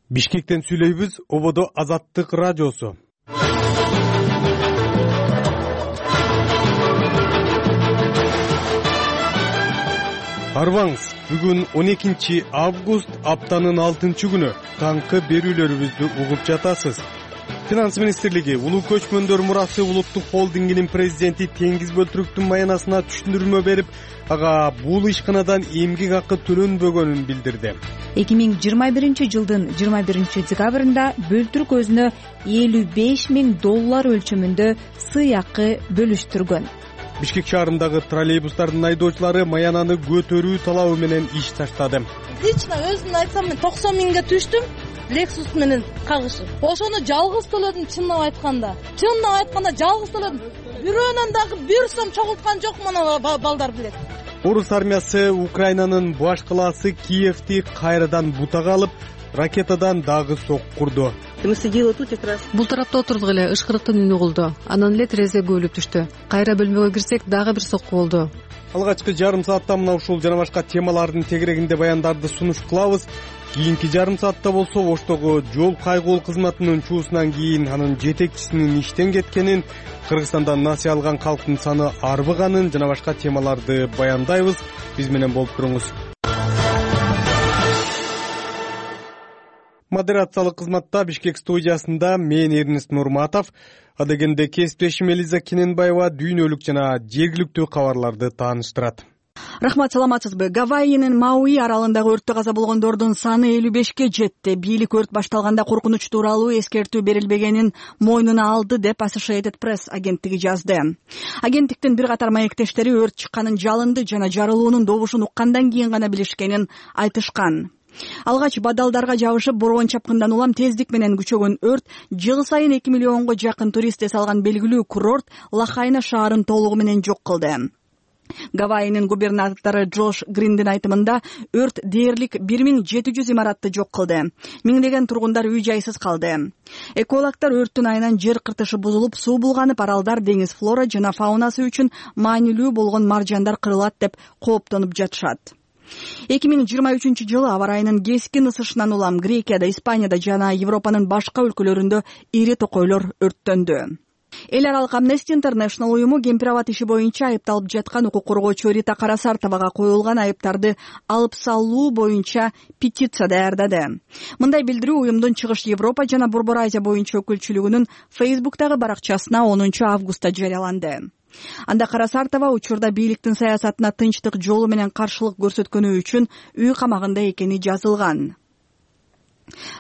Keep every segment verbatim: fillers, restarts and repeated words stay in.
Бишкектен сүйлөйбүз, ободо Азаттык радиосу. Арбаңыз, бүгүн он экинчи август, аптанын алтынчы күнү. Таңкы берүүлөрүбүздү угуп жатасыз. Финанс министрлиги Улуу көчмөндөр мурасы улуттук холдингинин президенти Теңиз Бөлтүрүктүн маянасына түшүндүрмө берип, ага бул ишканадан эмгек акы төлөнбөгөнүн билдирди. эки миң жыйырма биринчи жылдын жыйырма биринчи декабрында Бөлтүрүк өзүнө элүү беш миң доллар өлчөмүндө сыйакы бөлүштүргөн. Бишкек шаарындагы троллейбустардын айдоочулары маянаны көтөрүү талабы менен иш таштады. Лично өзүмдү айтсам, мен токсон миңге түштүм. Lexus менен кагышып. Ошону жалгыз төлөдүм, чынын айтканда. Чынын айтканда жалгыз төлөдүм. Бирөөнөн дагы бир сом чогулткан жок, мына балдар билет. Орус армиясы Украинанын баш калаасы Киевти кайрадан бутага алып, ракетадан дагы соккурду. Бул тарапта отурдук эле ышкырыктын үнү угулду. Анан эле терезе көбүлүп түштү. Кайра бөлмөгө кирсек, дагы бир сокку болду. Алгачкы жарым саатта мына ушул жана башка темалардын тегерегинде баяндарды сунуш кылабыз. Кийинки жарым саатта болсо Оштогу жол кайгуул кызматынын чуусунан кийин анын жетекчисинин иштен кеткенин, Кыргызстанда насыя алган калктын саны арбыганын жана башка темаларды баяндайбыз. Биз менен болуп туруңуз. Модерациялык кызматта Бишкек студиясында мен Эрнест Нурматов, адегенде кесиптешим Элиза Кененбаева дүйнөлүк жана жергиликтүү кабарларды тааныштырат. Рахмат, саламатсызбы? Гавайинин Мауи аралындагы өрттө каза болгондордун саны элүү бешке жетти. Бийлик өрт башталганда коркунуч тууралуу эскертүү берилбегенин мойнуна алды деп Associated Press агенттиги жазды. Агенттиктин бир катар маектештери өрт чыкканын жалынды жана жарылуунун добушун уккандан кийин гана билишкенин айтышкан. Алгач бадалдарга жабышып борбон чапкындан улам тездик менен күчөгөн өрт жыл сайын эки миллионго жакын турист эс алган белгилүү курорт Лахайна шаарын толугу менен жок кылды. Гавайинин губернатору Джош Гриндин айтымында өрт дээрлик бир миң жети жүз имаратты жок кылды. Миңдеген тургундар үй жайсыз калды. Экологдор өрттүн айынан жер кыртышы бузулуп, суу булганып, аралдар, деңиз флора жана фаунасы үчүн маанилүү болгон маржандар кырылат деп кооптонуп жатышат. эки миң жыйырма үчүнчү жылы аба ырайынын кескин ысышынан улам Грекияда, Испанияда жана Европанын башка өлкөлөрүндө ири токойлор өрттөндү. Эл аралык Amnesty International уюму кемпир-абад иши боюнча айыпталып жаткан укук коргоочу Рита Карасартовага коюлган айыптарды алып салуу боюнча петиция даярдады. Мындай билдирүү уюмдун Чыгыш Европа жана Борбор Азия боюнча өкүлчүлүгүнүн Facebook'тагы баракчасына онунчу августта жарыяланды. Анда Карасартова учурда бийликтин саясатына тынчтык жолу менен каршылык көрсөткөнү үчүн үй камагында экени жазылган.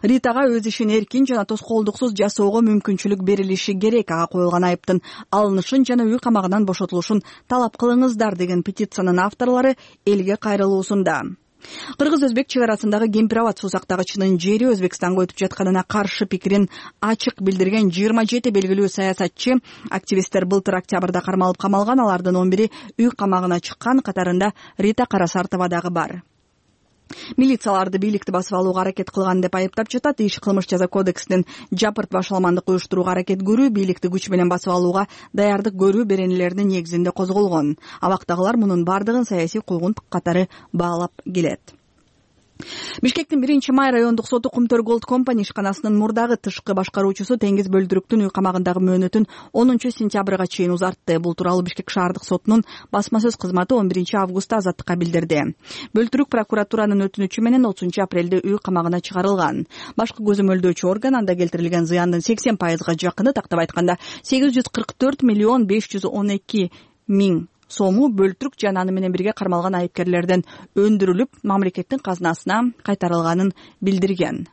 Ритага өз ишин эркин жана тоскоолдуксуз жасоого мүмкүнчүлүк берилиши керек. Ага коюлган айыптын алынышын жана үй камагынан бошотулушун талап кылыңыздар деген петициянын авторлору элге кайрылуусунда. Кыргыз-өзбек чек арасындагы кемпир-абад суусактагычынын жери Өзбекстанга өтүп жатканына каршы пикирин ачык билдирген жыйырма жети белгилүү саясатчы, активисттер былтыр октябрда кармалып камалган. Алардын он бири үй камагына чыккан, катарында Рита Карасартова дагы бар. Милицияларды бийликти басып алууга аракет кылган деп айыптап жатат. Иш кылмыш жаза кодексинин жапырт башаламандык уюштурууга аракет көрүү, бийликти күч менен басып алууга даярдык көрүү беренелеринин негизинде козголгон. Абактагылар мунун бардыгын саясий куугунтук катары баалап келет. Бишкектин биринчи май райондук соту Кумтөр Голд Компани ишканасынын мурдагы тышкы башкаруучусу Теңиз Бөлтүрүктүн үй камагындагы мөөнөтүн онунчу сентябрга чейин узартты. Бул тууралуу Бишкек шаардык сотунун басма сөз кызматы он биринчи августта Азаттыкка билдирди. Бөлтүрүк прокуратуранын өтүнүчү менен отузунчу апрелде үй камагына чыгарылган. Башкы көзөмөлдөөчү орган анда келтирилген зыяндын сексен пайызга жакыны, тактап айтканда сегиз жүз кырк төрт миллион беш жүз он эки миң сому Бөлтүрүк жана аны менен бирге кармалган айыпкерлерден өндүрүлүп, мамлекеттин казынасына кайтарылганын билдирген.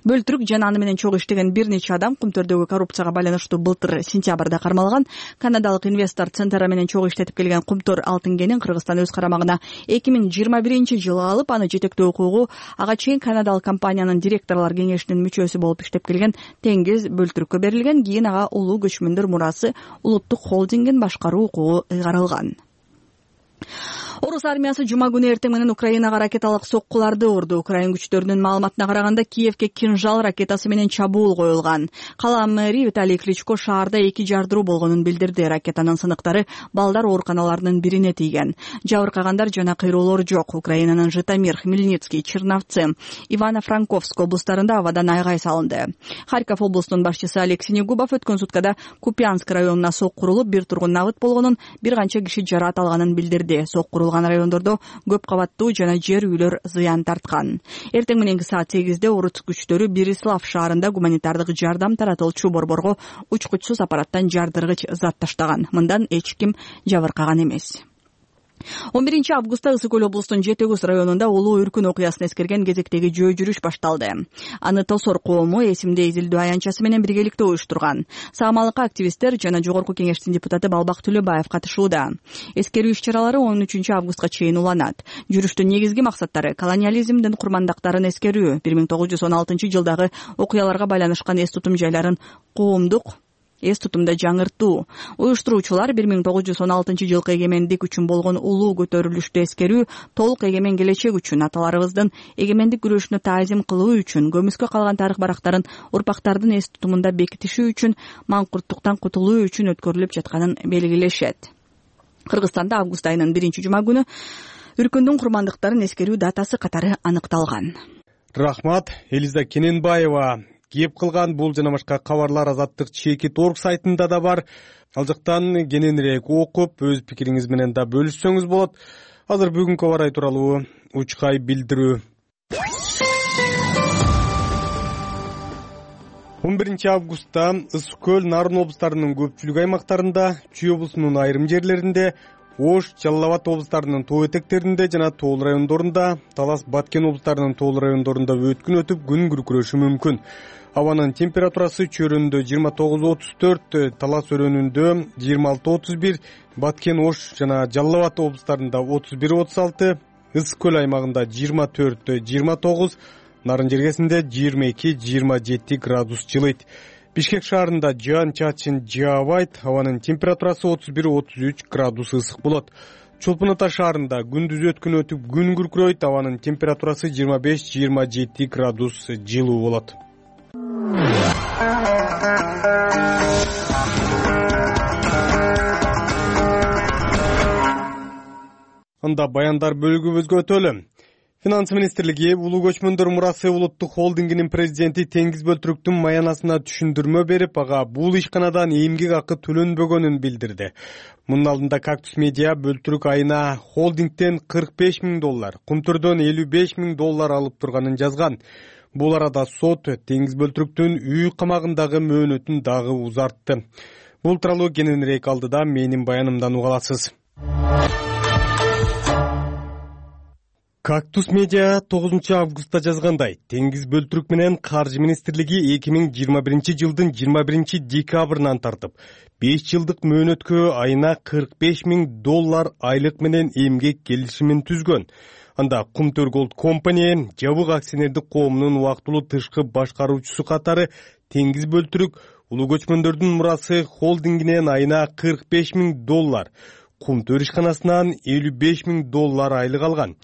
Бөлтүрүк жана аны менен чогуу иштеген бир нече адам Кумтөрдөгү коррупцияга байланыштуу былтыр сентябрда кармалган. Канадалык инвестор Центара менен чогуу иштетип келген Кумтөр алтын кенин Кыргызстан өз карамагына эки миң жыйырма биринчи жылы алып, аны жетектөө укугу ага чейин канадалык компаниянын директорлор кеңешинин мүчөсү болуп иштеп келген Теңиз Бөлтүрүккө берилген. Кийин ага улуу көчмөндөр мурасы улуттук холдингин башкаруу укугу ыйгарылган. Орус армиясы жума күнү эртең менен Украинага ракеталык соккуларды урду. Украин күчтөрүнүн маалыматына караганда Киевке кинжал ракетасы менен чабуул коюлган. Кала мэри Виталий Кличко шаарда эки жардыруу болгонун билдирди. Ракетанын сыныктары балдар ооруканаларынын бирине тийген. Жабыркагандар жана кыйроолор жок. Украинанын Житомир, Хмельницкий, Черновцы, Ивано-Франковск облустарында абадан айгай салынды. Харьков облусунун башчысы Алексей Негубов өткөн суткада Купянск районуна соккурулуп, бир тургун набыт болгонун, бир канча киши жараат алганын билдирди. Соккурулган райондордо көп кабаттуу жана жер үйлөр зыян тарткан. Эртең мененки саат сегизде орус күчтөрү Берислав шаарында гуманитардык жардам таратылчу борборго учкучсуз аппараттан жардыргыч зат таштаган. Мындан эч ким жабыркаган эмес. он биринчи августта Ысык Көл облусунун Жети Көз районунда улуу үркүн окуясын эскерген кезектеги жөө жүрүш башталды. Аны Тосор коому эсимде изилдөө аянтчасы менен биргеликте уюштурган. Саамалыкка активисттер жана Жогорку Кеңештин депутаты Балбак Түлөбаев катышууда. Эскерүү иш-чаралары он үчүнчү августка чейин уланат. Жүрүштүн негизги максаттары колониализмдин курмандыктарын эскерүү, бир миң тогуз жүз он алтынчы жылдагы окуяларга байланышкан эс тутум жайларын коомдук эс тутумда жаңыртуу. Уюштуруучулар бир миң тогуз жүз он алтынчы жылкы эгемендик үчүн болгон улуу көтөрүлүштү эскерүү, толук эгемен келечек үчүн, аталарыбыздын эгемендик күрөшүнө таазим кылуу үчүн, көмүскө калган тарых барактарын урпактардын эс тутумунда бекитишүү үчүн, маңкурттуктан кутулуу үчүн өткөрүлүп жатканын белгилешет. Кыргызстанда август айынын биринчи жума күнү үркүндүн курмандыктарын эскерүү датасы катары аныкталган. Рахмат, Элиза Кененбаева. Кеп кылган бул жана башка кабарлар Азаттык чекит орг сайтында да бар. Ал жактан кененирээк окуп, өз пикириңиз менен да бөлүшсөңүз болот. Азыр бүгүнкү аба ырайы тууралуу учкай билдирүү. он биринчи августта Ысык Көл, Нарын облустарынын көпчүлүк аймактарында, Чүй облусунун айрым жерлеринде, Ош, Жалал Абад облустарынын тоо этектеринде жана тоол райондорунда, Талас, Баткен облустарынын тоол райондорунда өткүн өтүп, күн күркүрөшү мүмкүн. Абанын температурасы Чөрөндө жыйырма тогуз отуз төрт, Талас өрөөнүндө жыйырма алты отуз бир, Баткен, Ош жана Жалал Абад облустарында отуз бир отуз алты, Ысык Көл аймагында жыйырма төрт жыйырма тогуз, Нарын жергесинде жыйырма эки жыйырма жети градус жылыйт. Бишкек шаарында жаан чачын жаабайт, абанын температурасы отуз бир отуз үч градус ысык болот. Чолпон Ата шаарында күндүз өткүн өтүп, күн күркүрөйт, абанын температурасы жыйырма беш жыйырма жети градус жылуу болот. Анда баяндар бөлүгүбүзгө өтөлү. Финанс министрлиги улуу көчмөндөр мурасы улуттук холдингинин президенти Теңиз Бөлтүрүктүн маянасына түшүндүрмө берип, ага бул ишканадан эмгек акы төлөнбөгөнүн билдирди. Мунун алдында Кактус Медиа Бөлтүрүк айына холдингден кырк беш миң доллар, Кумтөрдөн элүү беш миң доллар алып турганын жазган. Бул арада сот Теңиз Бөлтүрүктүн үй камагындагы мөөнөтүн дагы узартты. Бул тууралуу кененирээк алдыда менин баянымдан уга аласыз. Кактус Медиа тогузунчу августта жазгандай, Теңиз Бөлтүрүк менен Каржы министрлиги эки миң жыйырма биринчи жылдын жыйырма биринчи декабрынан тартып, беш жылдык мөөнөткө айына кырк беш миң доллар айлык менен эмгек келишимин түзгөн. Анда Кумтөр Голд Компани жабык акционердик коомунун убактылуу тышкы башкаруучусу катары Теңиз Бөлтүрүк улуу көчмөндөрдүн мурасы холдингинен айына кырк беш миң доллар, Кумтөр ишканасынан элүү беш миң доллар айлык алган.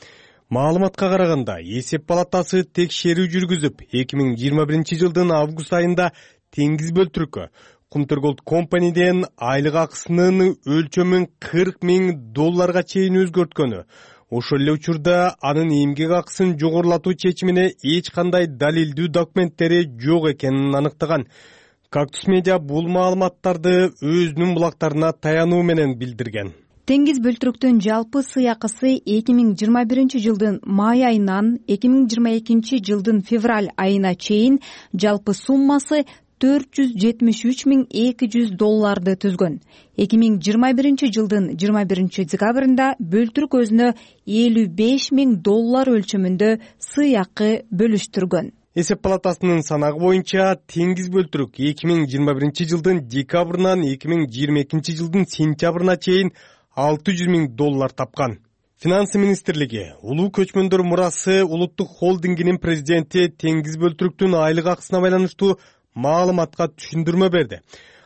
Маалыматка караганда, эсеп палатасы текшерүү жүргүзүп, эки миң жыйырма биринчи жылдын август айында Теңиз Бөлтүрүккө Кумтөр Голд Компаниден айлык акысынын өлчөмүн кырк миң долларга чейин өзгөрткөнү, ошол эле учурда анын эмгек акысын жогорулатуу чечимине эч кандай далилдүү документтери жок экенин аныктаган. Кактус Медиа бул маалыматтарды өзүнүн булактарына таянуу менен билдирген. Теңиз Бөлтүрүктүн жалпы сыйакысы эки миң жыйырма биринчи жылдын май айынан эки миң жыйырма экинчи жылдын февраль айына чейин жалпы суммасы төрт жүз жетимиш үч миң эки жүз долларды түзгөн. эки миң жыйырма биринчи жылдын жыйырма биринчи декабрында Бөлтүрүк өзүнө элүү беш миң доллар өлчөмүндө сыйакы бөлүштүргөн. Эсеп палатасынын санагы боюнча Теңиз Бөлтүрүк эки миң жыйырма биринчи жылдын декабрынан эки миң жыйырма экинчи жылдын сентябрына чейин алты жүз миң доллар тапкан. Финанс министрлиги улуу көчмөндөр мурасы улуттук холдингинин президенти Теңиз Бөлтүрүктүн айлык акысына байланыштуу маалыматка түшүндүрмө берди.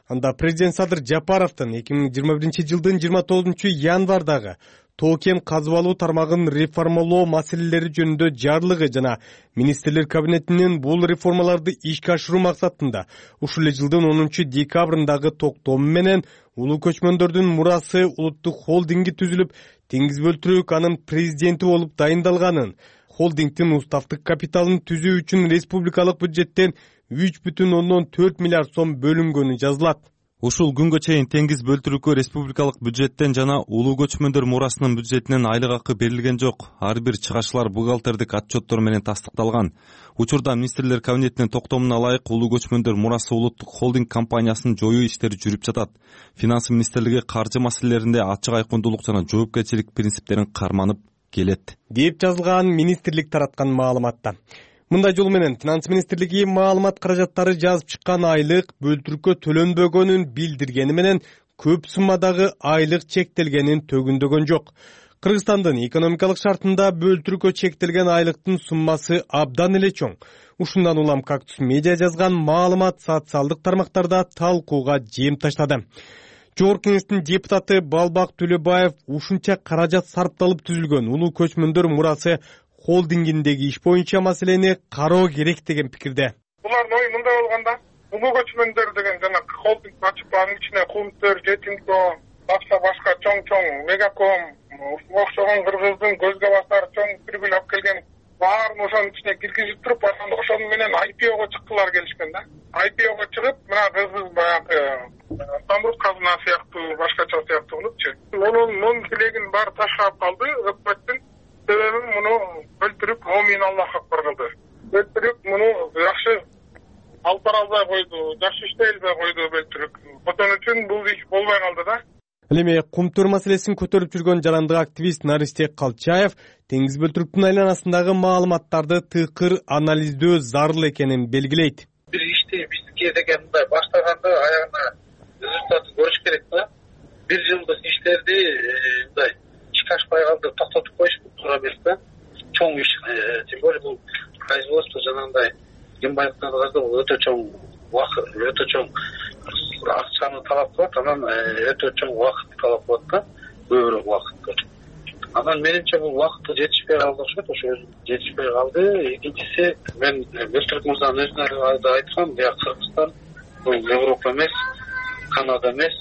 Анда президент Садыр Жапаровдун эки миң жыйырма биринчи жылдын жыйырма тогузунчу январдагы тоо-кен казып алуу тармагын реформалоо маселелери жөнүндө жарлыгы жана министрлер кабинетинин бул реформаларды ишке ашыруу максатында ушул эле жылдын онунчу декабрындагы токтому менен улуу көчмөндөрдүн мурасы улуттук холдинги түзүлүп, Теңиз Бөлтүрүк анын президенти болуп дайындалганын, холдингдин уставдык капиталын түзүү үчүн республикалык бюджеттен үч бүтүн ондон төрт миллиард сом бөлүнгөнү жазылат. Ушул күнгө чейин Теңиз Бөлтүрүккө республикалык бюджеттен жана улуу көчмөндөр мурасынын бюджетинен айлык акы берилген жок. Ар бир чыгашылар бухгалтердик отчеттор менен тастыкталган. Учурда министрлер кабинетинин токтомуна ылайык улуу көчмөндөр мурасы улуттук холдинг компаниясын жоюу иштери жүрүп жатат. Финансы министрлиги каржы маселелеринде ачык айкындуулук жана жоопкерчилик принциптерин карманып келет, деп жазылган министрлик тараткан маалыматта. Мындай жол менен Финанс министрлиги маалымат каражаттары жазып чыккан айлык Бөлтүрүккө төлөнбөгөнүн билдиргени менен көп суммадагы айлык чектелгенин төгүндөгөн жок. Кыргызстандын экономикалык шартында Бөлтүрүккө чектелген айлыктын суммасы абдан эле чоң. Ушундан улам Кактус медиа жазган маалымат социалдык тармактарда талкууга жем таштады. Жогорку кеңештин депутаты Балбак Төлөбаев ушунча каражат сарпталып түзүлгөн улуу көчмөндөр мурасы холдингиндеги иш боюнча маселени кароо керек деген пикирде. Булардын ою мындай болгондо, улуу көчмөндөр деген жана холдинг ачып анын ичине Кумтөр, Жетимко, башка башка чоң-чоң Мегаком, окшогон кыргыздын көзгө басар чоң прибыль алып келген баарын ошонун ичине киргизип туруп, анан ошонун менен ай пи ого чыктылар келишкен да. ай пи ого чыгып, мына кыргыз баягы самрут казына сыяктуу, башкача сыяктуу болупчу. Мунун мун тилегин баары таштап калды, өкмөттүн себеби муну Бөлтүрүк момин Аллах акбар кылды. Бөлтүрүк муну жакшы алып бара албай койду, жакшы иштей албай койду Бөлтүрүк. Ошон үчүн бул иш болбой калды да. Ал эми Кумтөр маселесин көтөрүп жүргөн жарандык активист Наристек Калчаев Теңиз Бөлтүрүктүн айланасындагы маалыматтарды тыкыр анализдөө зарыл экенин белгилейт. Бир ишти бизге деген мындай баштаганда аягына результатын көрүш керек да. Бир жылдык иштерди мындай ишке ашпай калды, токтотуп коюш туура эмес да. Чоң иш, тем более бул производство жанагындай кембайлыктан казда бул өтө чоң убакыт, өтө чоң акчаны талап кылат, анан өтө чоң убакытты талап кылат да, көбүрөөк убакытты. Анан менимче бул убакытты жетишпей калды окшойт, ошо жетишпей калды. Экинчиси, мен Бөлтүрүк мырзанын өзүнө да айткам, бияк Кыргызстан бул Европа эмес, Канада эмес.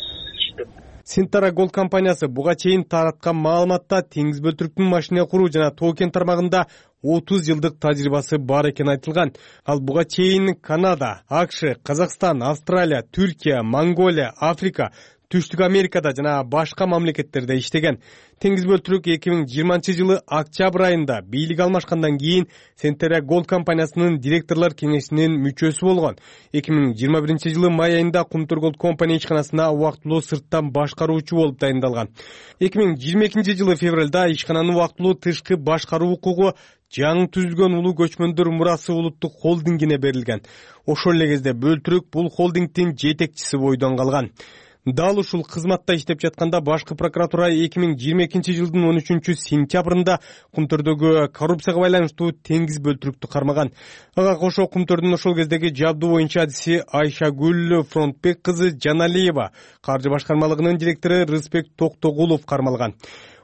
Синтара Голд компаниясы буга чейин тараткан маалыматта Теңиз Бөлтүрүктүн машина куруу жана тоо-кен тармагында отуз жылдык тажрыйбасы бар экени айтылган. Ал буга чейин Канада, АКШ, Казакстан, Австралия, Түркия, Монголия, Африка, Түштүк Америкада жана башка мамлекеттерде иштеген. Теңиз Бөлтүрүк эки миң жыйырманчы жылы октябрь айында бийлик алмашкандан кийин Синтара Голд компаниясынын директорлор кеңешинин мүчөсү болгон. эки миң жыйырма биринчи жылы май айында Кумтөр Голд компания ишканасына убактылуу сырттан башкаруучу болуп дайындалган. эки миң жыйырма экинчи жылы февралда ишкананын убактылуу тышкы башкаруу укугу жаңы түзүлгөн улуу көчмөндөр мурасы улуттук холдингине берилген. Ошол эле кезде Бөлтүрүк бул холдингдин жетекчиси бойдон калган. Дал ушул кызматта иштеп жатканда башкы прокуратура эки миң жыйырма экинчи жылдын он үчүнчү сентябрында Кумтөрдөгү коррупцияга байланыштуу Теңиз Бөлтүрүктү кармаган. Ага кошо Кумтөрдүн ошол кездеги жабдуу боюнча адиси Айшагүл Фронтбек кызы Жаналиева, каржы башкармалыгынын директору Рыспек Токтогулов кармалган.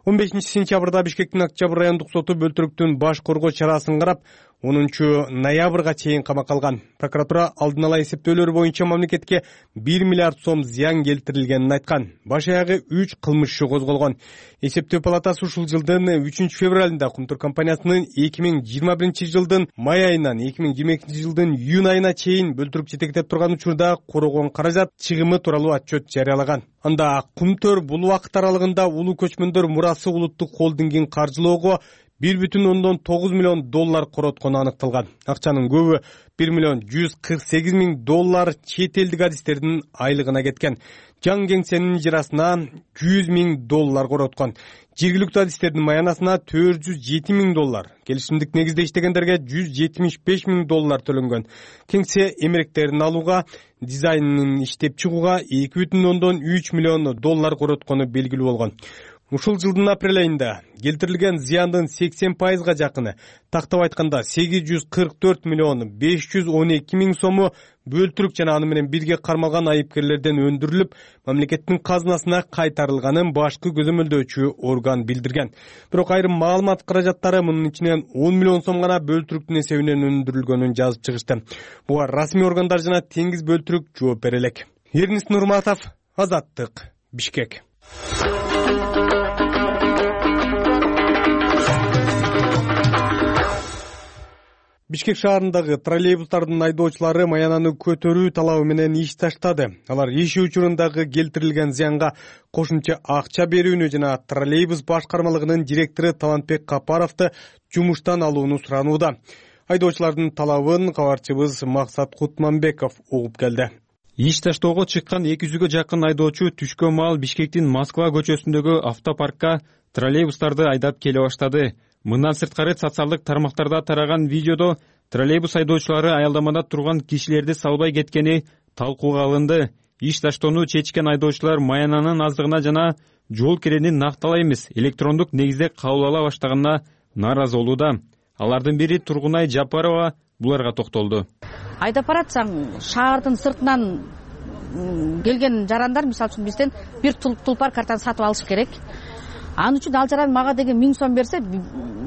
он бешинчи сентябрда Бишкектин Октябрь райондук соту Бөлтүрүктүн баш коргоо чарасын карап, онунчу ноябрга чейин камакка алган. Прокуратура алдын ала эсептөөлөр боюнча мамлекетке бир миллиард сом зыян келтирилгенин айткан. Баш аягы үч кылмыш иши козголгон. Эсептөө палатасы ушул жылдын үчүнчү февралында Кумтөр компаниясынын эки миң жыйырма биринчи жылдын май айынан эки миң жыйырма экинчи жылдын июнь айына чейин Бөлтүрүк жетектеп турган учурда корогон каражат чыгымы тууралуу отчет жарыялаган. Анда Кумтөр бул убакыт аралыгында улуу көчмөндөр мурасы улуттук холдингин каржылоого бир бүтүн ондон тогуз миллион доллар короткону аныкталган. Акчанын көбү бир миллион жүз кырк сегиз миң доллар чет элдик адистердин айлыгына кеткен. Жаң кеңсенин ижарасына жүз миң доллар короткон. Жергиликтүү адистердин маянасына төрт жүз жети миң доллар, келишимдик негизде иштегендерге жүз жетимиш беш миң доллар төлөнгөн. Кеңсе эмеректерин алууга, дизайнын иштеп чыгууга эки бүтүн ондон үч миллион доллар короткону белгилүү болгон. Ушул жылдын апрель айында келтирилген зыяндын сексен пайызга жакыны, тактап айтканда сегиз жүз кырк төрт миллион беш жүз он эки миң сому бөлтүрүк жана аны менен бирге кармалган айыпкерлерден өндүрүлүп, мамлекеттин казынасына кайтарылганын башкы көзөмөлдөөчү орган билдирген. Бирок айрым маалымат каражаттары мунун ичинен он миллион сом гана бөлтүрүктүн эсебинен өндүрүлгөнүн жазып чыгышты. Буга расмий органдар жана теңиз бөлтүрүк жооп бере элек. Эрнис Нурматов, Азаттык, Бишкек. Бишкек шаарындагы троллейбустардын айдоочулары маянаны көтөрүү талабы менен иш таштады. Алар иш учурундагы келтирилген зыянга кошумча акча берүүнү жана троллейбус башкармалыгынын директору Талантбек Капаровду жумуштан алууну суранууда. Айдоочулардын талабын кабарчыбыз Максат Кутманбеков угуп келди. Иш таштоого чыккан эки жүзгө жакын айдоочу түшкө маал Бишкектин Москва көчөсүндөгү автопаркка троллейбустарды айдап келе баштады. Мындан сырткары социалдык тармактарда тараган видеодо троллейбус айдоочулары аялдамада турган кишилерди салбай кеткени талкууга алынды. Иш таштоону чечкен айдоочулар маянанын аздыгына жана жол кирени накталай эмес, электрондук негизде кабыл ала баштаганына нааразы болууда. Алардын бири Тургунай Жапарова буларга токтолду. Айдап баратсаң, шаардын сыртынан келген жарандар, мисалы үчүн бизден бир тулпар картаны сатып алыш керек. Анын үчүн ал жаран мага деген миң сом берсе,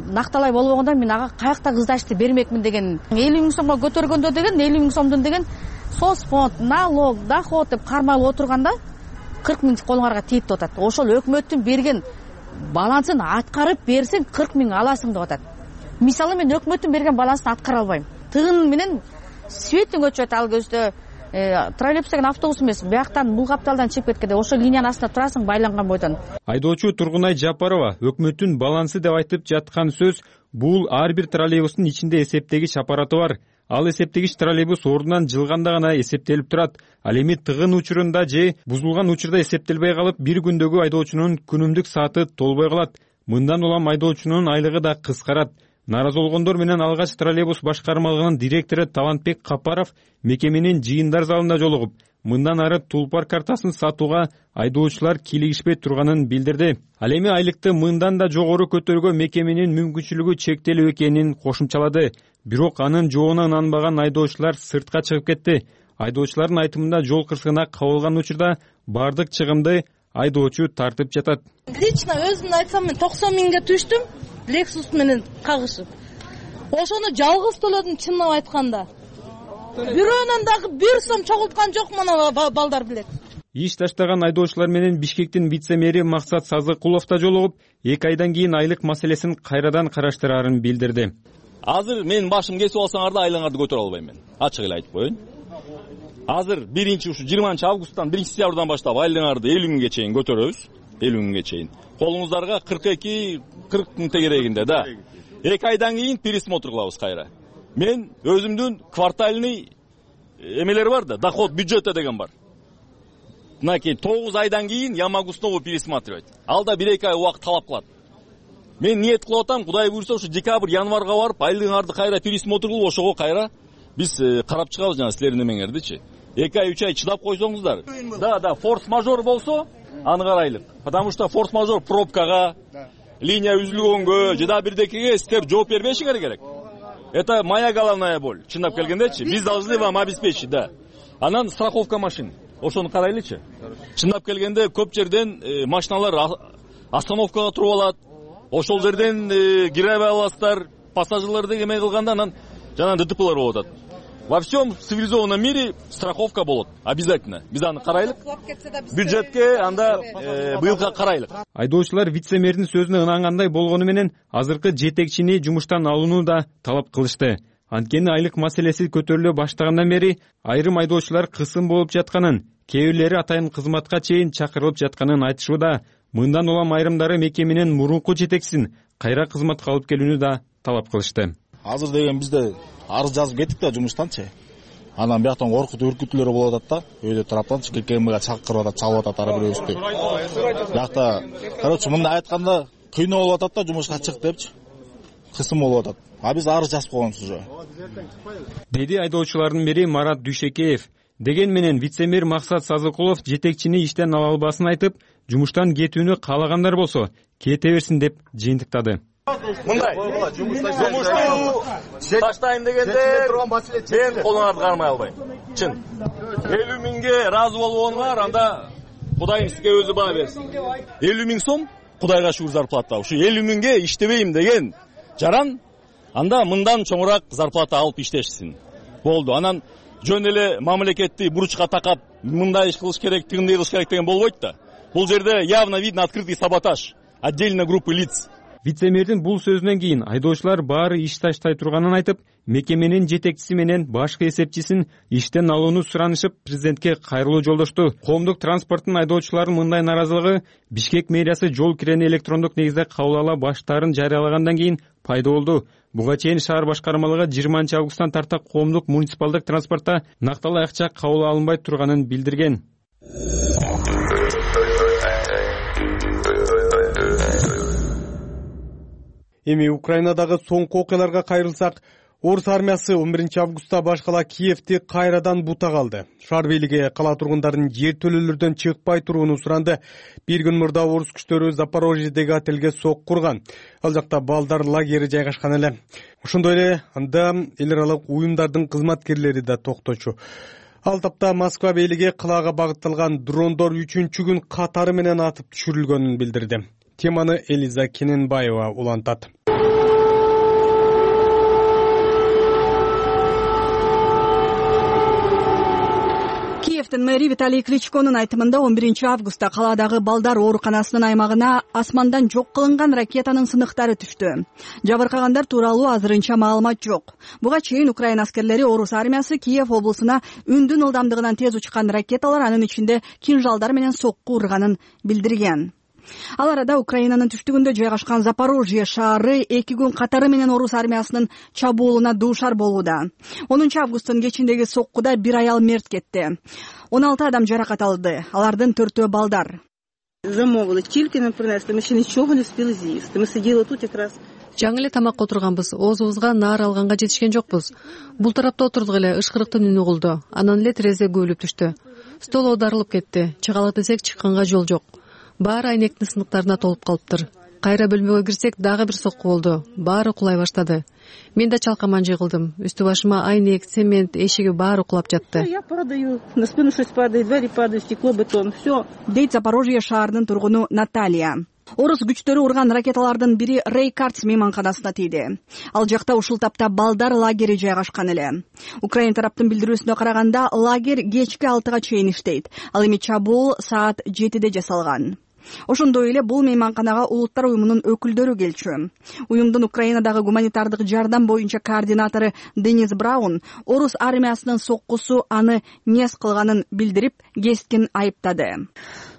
накталай болбогондо мен ага каякта кыздашты бермекмин деген. элүү миң сомго көтөргөндө деген элүү миң сомдун деген соцфонд, налог, доход деп кармалып отурганда кырк миң колуңарга тийип деп атат. Ошол өкмөттүн берген балансын аткарып берсең кырк миң аласың деп атат. Мисалы мен өкмөттүн берген балансын аткара албайм. Тыгын менен светтин көчөт ал көздө троллейбус деген автобус эмес, бияктан бул капталдан чыгып кеткенде ошол линиянын астында турасың байланган бойдон. Айдоочу Тургунай Жапарова өкмөттүн балансы деп айтып жаткан сөз бул ар бир троллейбустун ичинде эсептегич аппараты бар. Ал эсептегич троллейбус ордунан жылганда гана эсептелип турат. Ал эми тыгын учурунда же бузулган учурда эсептелбей калып, бир күндөгү айдоочунун күнүмдүк сааты толбой калат. Мындан улам айдоочунун айлыгы да кыскарат. Нааразы болгондор менен алгач троллейбус башкармалыгынын директору Талантбек Капаров мекеменин жыйындар залында жолугуп, мындан ары тулпар картасын сатууга айдоочулар кийлигишпей турганын билдирди. Ал эми айлыкты мындан да жогору көтөрүүгө мекеменин мүмкүнчүлүгү чектелүү экенин кошумчалады. Бирок анын жообуна ынанбаган айдоочулар сыртка чыгып кетти. Айдоочулардын айтымында жол кырсыгына кабылган учурда бардык чыгымды айдоочу тартып жатат. Лично өзүмдү айтсам, мен токсон миңге түштүм. Lexus менен кагышып. Ошону жалгыз төлөдүм чынын айтканда. Бирөөнөн дагы бир сом чогулткан жок мына балдар билет. Иш таштаган айдоочулар менен Бишкектин вице-мэри Максат Сазыкулов да жолугуп, эки айдан кийин айлык маселесин кайрадан караштырарын билдирди. Азыр мен башым кесип алсаңар да айлаңарды көтөрө албайм мен. Ачык эле айтып коеюн. Азыр биринчи ушу жыйырманчы августтан биринчи сентябрдан баштап айлаңарды элүү миңге чейин көтөрөбүз. элүү миңге чейин. Колуңуздарга кырк эки кырк миң тегерегинде да. эки айдан кийин пересмотр кылабыз кайра. Мен өзүмдүн квартальный эмелер бар да, доход бюджета деген бар. Мынакей тогуз айдан кийин Ямагустнову пересматривать. Алда бир эки ай убакыт талап кылат. Мен ниет кылып атам, Кудай буйрса, ушу декабрь, январга барып, айлыгыңарды кайра пересмотр кылып, ошого кайра биз карап чыгабыз жана силердин эмеңердичи. эки ай, үч ай чыдап койсоңуздар. Да, да, форс-мажор болсо, аны карайлык. Потому что форс-мажор пробкага, линия үзүлгөнгө, же да бирдекеге силер жооп бербешиңер керек. Это моя головная боль. Чындап келгендечи, биз должны вам обеспечить, да. Анан страховка машин. Ошону карайлычы. Чындап келгенде көп жерден э, машиналар остановкага туруп алат. Ошол жерден э, кире аласыздар, пассажирлерди эме кылганда анан жана ДТПлар болуп атат. Во всем цивилизованном мире страховка болот. Обязательно. Биз аны карайлык. Бюджетке анда э, быйылга карайлык. Айдоочулар вице-мэрдин сөзүнө ынангандай болгону менен азыркы жетекчини жумуштан алууну да талап кылышты. Анткени айлык маселеси көтөрүлө баштагандан бери айрым айдоочулар кысым болуп жатканын, кээ бирлери атайын кызматка чейин чакырылып жатканын айтышууда. Мындан улам айрымдары мекеменин мурунку жетекчисин кайра кызматка алып келүүнү да талап кылышты. Азыр деген бизде арыз жазып кеттик да жумуштанчы. Анан бияктан коркутуу үркүтүүлөр болуп атат да, өйдө тараптанчы ККМга чакырып атат, чалып атат ар бирөөбүздү. Биякта, короче, мындай айтканда кыйноо болуп атат да, жумушка чык депчи. Кысым болуп атат. А биз арыз жазып койгонбуз уже. Деди айдоочулардын бири Марат Дүйшекеев. Деген менен вице-мэр Максат Сазыкулов жетекчини иштен ала албасын айтып, жумуштан кетүүнү каалагандар болсо кете берсин деп жыйынтыктады. Мындай жумушту таштайм дегенде мен колуңарды кармай албайм. Чын. элүү миңге ыраазы болбогоңар, анда Кудайым сизге өзү баа берсин. элүү миң сом Кудайга шүгүр зарплата. Ушу элүү миңге иштебейм деген жаран анда мындан чоңураак зарплата алып иштешсин. Болду. Анан жөн эле мамлекетти буручка такап мындай иш кылыш керек, тигиндей кылыш керек деген болбойт да. Бул жерде явно видно открытый саботаж отдельно группы лиц. Вице-мэрдин бул сөзүнөн кийин айдоочулар баары иш таштай турганын айтып, мекеменин жетекчиси менен башкы эсепчисин иштен алууну суранышып, президентке кайрылуу жолдошту. Коомдук транспорттун айдоочуларынын мындай наразылыгы Бишкек мэриясы жол кирени электрондук негизде кабыл ала баштаарын жарыялагандан кийин пайда болду. Буга чейин шаар башкармалыгы жыйырманчы августтан тарта коомдук муниципалдык транспортто накталуу акча кабыл алынбай турганын билдирген. Эми Украинадагы соңку окуяларга кайрылсак, Орус армиясы он биринчи августта башкала Киевти кайрадан бутак алды. Шаар бийлиги кала тургундарынын жер төлөлөрдөн чыкпай турууну суранды. Бир күн мурда орус күчтөрү Запорожьедеги отелге сок курган. Ал жакта балдар лагери жайгашкан эле. Ошондой эле анда эл аралык уюмдардын кызматкерлери да токточу. Ал тапта Москва бийлиги калаага багытталган дрондор үчүнчү күн катары менен атып түшүрүлгөнүн билдирди. Теманы Элиза Кененбаева улантат. Киевдин мэри Виталий Кличконун айтымында он биринчи августта каладагы балдар ооруканасынын аймагына асмандан жок кылынган ракетанын сыныктары түштү. Жабыркагандар тууралуу азырынча маалымат жок. Буга чейин Украина аскерлери Орус армиясы Киев облусуна үндүн ылдамдыгынан тез учкан ракеталар, анын ичинде кинжалдар менен сокку урганын билдирген. Ал арада Украинанын түштүгүндө жайгашкан Запорожье шаары эки күн катары менен Орус армиясынын чабуулуна дуушар болууда. онунчу августтун кечиндеги соккуда бир аял мерт кетти. он алты адам жаракат алды. Алардын төртөө балдар. Замовили, тільки нам принесли, ми ще нічого не встигли з'їсти. Ми сиділи тут якраз. Жаңы эле тамакка отурганбыз, оозубузга наар алганга жетишкен жокпуз. Бул тарапта отурдук эле ышкырыктын үнү угулду. Анан эле терезе көөлүп түштү. Стол оодарылып кетти. Чыгалык десек чыкканга жол жок. Баары айнектин сыныктарына толуп калыптыр. Кайра бөлмөгө кирсек дагы бир сокку болду. Баары кулай баштады. Мен да чалкаман жыгылдым. Үстү башыма айнек, цемент, эшиги баары кулап жатты. Я падаю, на спину что-то падает, двери падают, стекло, бетон, все. Дейт Запорожье шаарынын тургуну Наталья. Орус күчтөрү урган ракеталардын бири Рейкардс мейманканасына тийди. Ал жакта ушул тапта балдар лагери жайгашкан эле. Украина тараптын билдирүүсүнө караганда, лагерь кечки алтыга чейин иштейт. Ал эми чабуул саат жетиде жасалган. Ошондой эле бул мейманканага Улуттар уюмунун өкүлдөрү келчү. Уюмдун Украинадагы гуманитардык жардам боюнча координатору Денис Браун Орус армиясынын соккусу аны нес кылганын билдирип, кескин айыптады.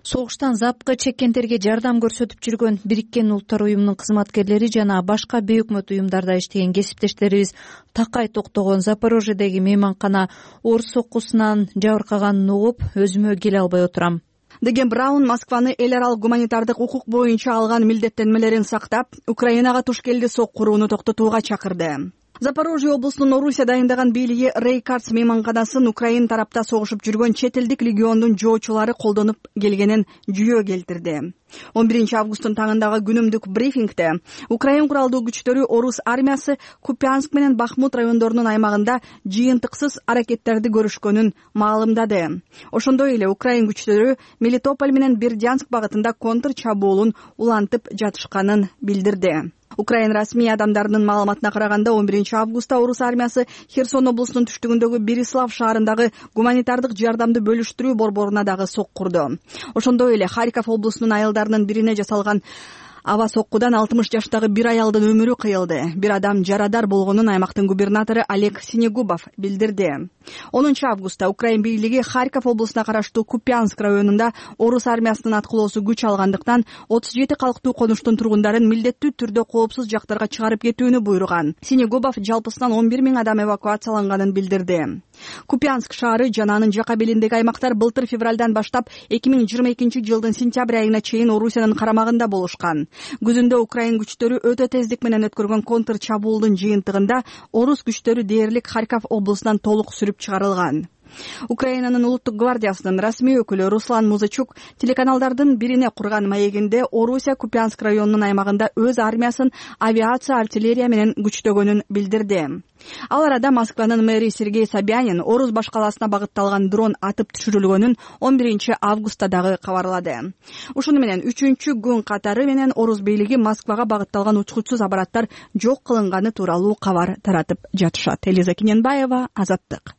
Согуштан запкы чеккендерге жардам көрсөтүп жүргөн Бириккен Улуттар уюмунун кызматкерлери жана башка бейөкмөт уюмдарда иштеген кесиптештерибиз такай токтогон Запорожьедеги мейманкана орус соккусунан жабыркаганын угуп, өзүмө келе албай отурам деген Браун Москваны эл аралык гуманитардык укук боюнча алган милдеттенмелерин сактап, Украинага туш келди соккурууну токтотууга чакырды. Запорожье облусунун Орусия дайындаган бийлиги Рейкардс мейманканасын Украина тарапта согушуп жүргөн чет элдик легиондун жоочулары колдонуп келгенин жүйө келтирди. он биринчи августтун таңындагы күнүмдүк брифингде Украин куралдуу күчтөрү Орус армиясы Купянск менен Бахмут райондорунун аймагында жыйынтыксыз аракеттерди көрүшкөнүн маалымдады. Ошондой эле Украин күчтөрү Мелитополь менен Бердянск багытында контр чабуулун улантып жатышканын билдирди. Украин расмий адамдарынын маалыматына караганда он биринчи августта Орус армиясы Херсон облусунун түштүгүндөгү Берислав шаарындагы гуманитардык жардамды бөлүштүрүү борборуна дагы соккурду. Ошондой эле Харьков облусунун айылдарынын бирине жасалган аба соккудан алтымыш жаштагы бир аялдын өмүрү кыйылды. Бир адам жарадар болгонун аймактын губернатору Олег Синегубов билдирди. онунчу августта Украин бийлиги Харьков облусуна караштуу Купянск районунда Орус армиясынын аткылоосу күч алгандыктан отуз жети калктуу конуштун тургундарын милдеттүү түрдө коопсуз жактарга чыгарып кетүүнү буйруган. Синегубов жалпысынан он бир миң адам эвакуацияланганын билдирди. Купянск шаары жана анын жака белиндеги аймактар былтыр февралдан баштап эки миң жыйырма экинчи жылдын сентябрь айына чейин Орусиянын карамагында болушкан. Күзүндө Украин күчтөрү өтө тездик менен өткөргөн контр чабуулдун жыйынтыгында Орус күчтөрү дээрлик Харьков облусунан толук сүрүп чыгарылган. Украинанын улуттук гвардиясынын расмий өкүлү Руслан Музычук телеканалдардын бирине курган маегинде Орусия Купянск районунун аймагында өз армиясын авиация, артиллерия менен күчтөгөнүн билдирди. Ал арада Москванын мэри Сергей Собянин Орус башкаласына багытталган дрон атып түшүрүлгөнүн он биринчи августта дагы кабарлады. Ушуну менен үчүнчү күн катары менен Орус бийлиги Москвага багытталган учкучсуз аппараттар жок кылынганы тууралуу кабар таратып жатышат. Элиза Кененбаева, Азаттык.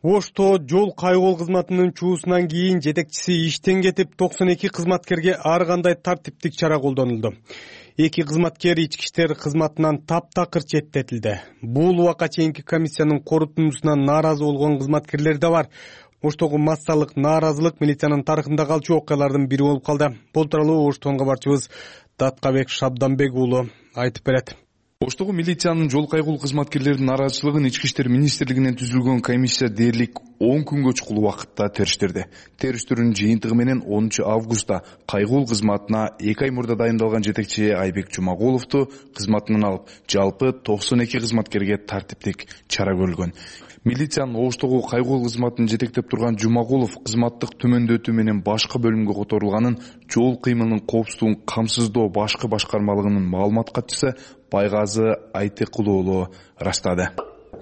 Ошто жол кайгоол кызматынын чуусунан кийин жетекчиси иштен кетип, токсон эки кызматкерге ар кандай тартиптик чара колдонулду. Эки кызматкер ички иштер кызматынан таптакыр четтетилди. Бул убакка чейинки комиссиянын корутундусуна нааразы болгон кызматкерлер да бар. Оштогу массалык нааразылык милициянын тарыхында калчу окуялардын бири болуп калды. Бул тууралуу Оштон кабарчыбыз Даткабек Шабданбек уулу айтып берет. Оштогу милициянын жол кайгоол кызматкерлеринин нааразычылыгын ички иштер министрлигинен түзүлгөн комиссия дээрлик он күнгө чукул убакытта териштирди. Териштирүүнүн жыйынтыгы менен онунчу августта кайгоол кызматына эки ай мурда дайындалган жетекчи Айбек Жумагуловду кызматынан алып, жалпы токсон эки кызматкерге тартиптик чара көрүлгөн. Милициянын Оштогу кайгоол кызматын жетектеп турган Жумагулов кызматтык төмөндөтүү менен башка бөлүмгө которулганын жол кыймылынын коопсуздугун камсыздоо башкы башкармалыгынын маалымат катчысы Байгазы Айтыкул уулу ырастады.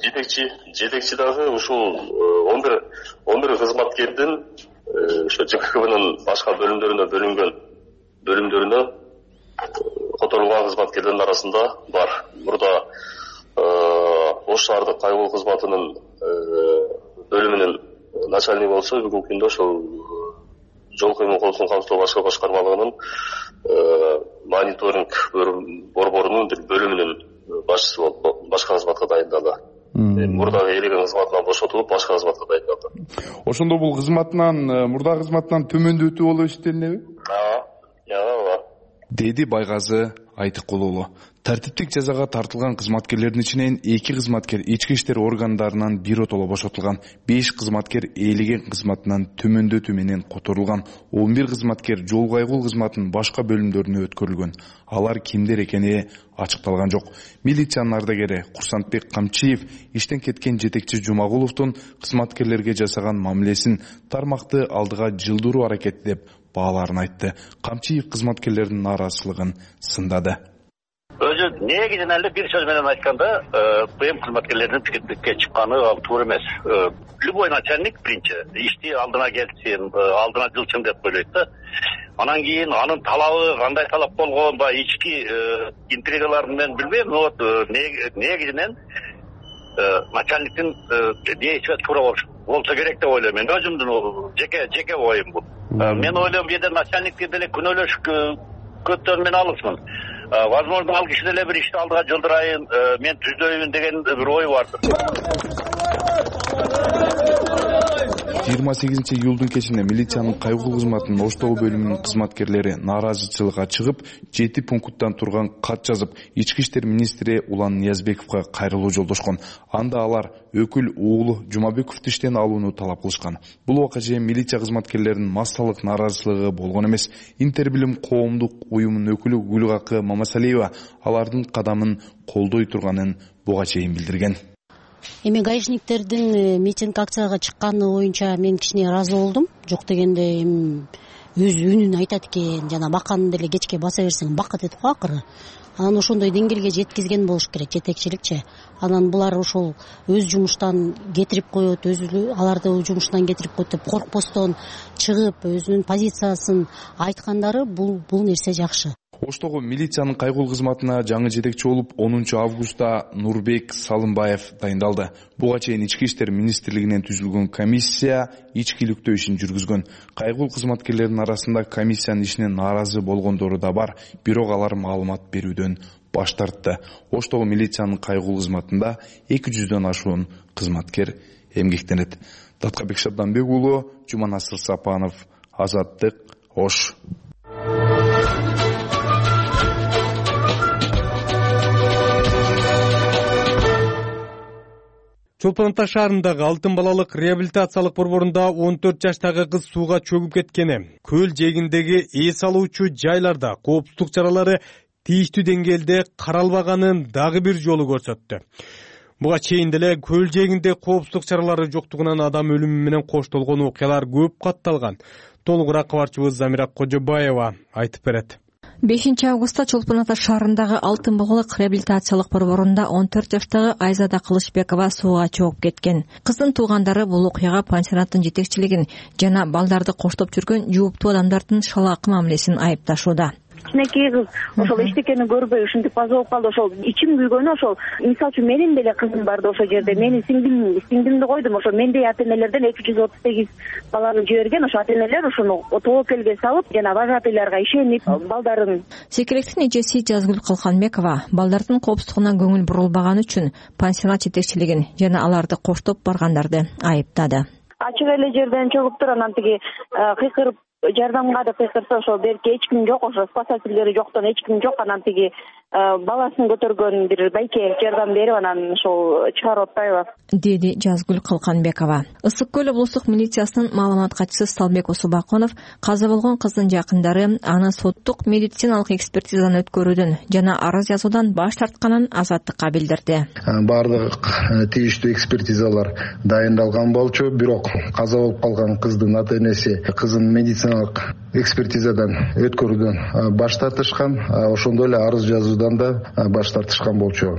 Жетекчи жетекчи дагы ушул он бир он бир кызматкердин ошо ЖКХБнын башка бөлүмдөрүнө бөлүнгөн бөлүмдөрүнө которулган кызматкерлердин арасында бар. Мурда Ош шаардык кайгоол кызматынын бөлүмүнүн начальниги болсо, бүгүнкү күндө ошол жол кыймыл коопсуздугун камсыздоо башка башкармалыгынын мониторинг борборунун бир бөлүмүнүн башчысы болуп башка кызматка дайындалды. Мурдагы элеген кызматынан бошотулуп, башка кызматка дайындалды. Ошондо бул кызматынан, мурдагы кызматынан төмөндөтүү болуп эсептелинеби? Ооба, ооба. Деди Байгазы Айтыкул уулу. Тартиптик жазага тартылган кызматкерлердин ичинен эки кызматкер ички иштер органдарынан биротоло бошотулган, беш кызматкер ээлеген кызматынан төмөндөтүү менен которулган, он бир кызматкер жол кайгоол кызматынын башка бөлүмдөрүнө өткөрүлгөн. Алар кимдер экени ачыкталган жок. Милициянын ардагери Курсантбек Камчиев иштен кеткен жетекчи Жумагуловдун кызматкерлерге жасаган мамилесин тармакты алдыга жылдыруу аракети деп бааларын айтты. Камчиев кызматкерлердин нааразычылыгын сындады. Өзү негизинен эле бир сөз менен айтканда, ПМ кызматкерлеринин пикетке чыкканы туура эмес. Любой начальник биринчи ишти алдына келсин, алдына жылчын деп ойлойт да. Анан кийин анын талабы кандай талап болгон, баягы ички интригаларын мен билбейм, но вот негизинен начальниктин действия туура болсо керек деп ойлойм. Мен өзүмдүн жеке жеке оюм бул. Мен ойлойм, бир начальникти деле күнөөлөш көптөн мен алысмын. Возможно, ал киши деле бир ишти алдыга жылдырайын, мен түздөйүн деген бир ой бардыр. жыйырма сегизинчи июлдун кечинде милициянын кайгоол кызматынын Оштогу бөлүмүнүн кызматкерлери нааразычылыкка чыгып, жети пункттан турган кат жазып, ички иштер министри Улан Ниязбековго кайрылуу жолдошкон. Анда алар өкүл уулу Жумабековду иштен алууну талап кылышкан. Бул убакка чейин милиция кызматкерлеринин массалык нааразычылыгы болгон эмес. Интербилим коомдук уюмунун өкүлү Гүлгакы Мамасалиева алардын кадамын колдой турганын буга чейин билдирген. Эми гаишниктердин митинг акцияга чыкканы боюнча мен кичине ыраазы болдум. Жок дегенде эми өз үнүн айтат экен, жана баканы деле кечке баса берсең бакат этип го акыры. Анан ошондой деңгээлге жеткизген болуш керек жетекчиликчи. Анан булар ошол өз жумуштан кетирип коет, өз аларды жумуштан кетирип коет деп коркпостон чыгып, өзүнүн позициясын айткандары бул бул нерсе жакшы. Оштогу милициянын кайгоол кызматына жаңы жетекчи болуп, онунчу августта Нурбек Салымбаев дайындалды. Буга чейин ички иштер министрлигинен түзүлгөн комиссия ичкиликтөө ишин жүргүзгөн. Кайгоол кызматкерлердин арасында комиссиянын ишине нааразы болгондору да бар, бирок алар маалымат берүүдөн баш тартты. Оштогу милициянын кайгоол кызматында эки жүздөн ашуун кызматкер эмгектенет. Даткабек Шабданбек уулу, Жуманасыр Сапанов, Азаттык, Ош. Чолпон Ата шаарындагы Алтын балалык реабилитациялык борборунда он төрт жаштагы кыз сууга чөгүп кеткени, көл жээгиндеги эс алуучу жайларда коопсуздук чаралары тийиштүү деңгээлде каралбаганын дагы бир жолу көрсөттү. Буга чейин деле көл жээгинде коопсуздук чаралары жоктугунан адам өлүмү менен коштолгон окуялар көп катталган. Толугураак кабарчыбыз Замира Кожобаева айтып берет. бешинчи августта Чолпон Ата шаарындагы Алтын балалык реабилитациялык борборунда он төрт жаштагы Айзада Кылычбекова сууга чогуп кеткен. Кыздын туугандары бул окуяга пансионаттын жетекчилигин жана балдарды коштоп жүргөн жооптуу адамдардын шалаакы мамилесин айыпташууда. Кичинекей кыз ошол эчтекени көрбөй ушинтип каза болуп калды. Ошол ичим күйгөнү ошол. Мисалы үчүн менин деле кызым барды ошол жерде. Менин сиңдим, сиңдимди койдум. Ошо мендей ата-энелерден эки жүз отуз сегиз баланы жиберген. Ошо ата-энелер ошону тобокелге салып, жана вожатыйларга ишенип балдарын. Секиректин эжеси Жазгүл Калканбекова балдардын коопсуздугуна көңүл бурулбаганы үчүн пансионат жетекчилигин жана аларды коштоп баргандарды айыптады. Ачык эле жерден чогуп туруп анан тиги кыйкырып жардамга деп кыйкырса ошол берки эч ким жок, ошо спасательдери жоктон эч ким жок. Анан тиги баласын көтөргөн бир байке жардам берип анан ошол чыгарып атпайбы, деди Жазгүл Калканбекова. Ысык көл облустук милициясынын маалымат катчысы Салбек Усубаконов каза болгон кыздын жакындары аны соттук медициналык экспертизаны өткөрүүдөн жана арыз жазуудан баш тартканын азаттыкка билдирди. Бардык тийиштүү экспертизалар дайындалган болчу, бирок каза болуп калган кыздын ата-энеси кызын медициналык экспертизадан өткөрүүдөн баш тартышкан, ошондой эле арыз жазуудан да баш тартышкан болчу.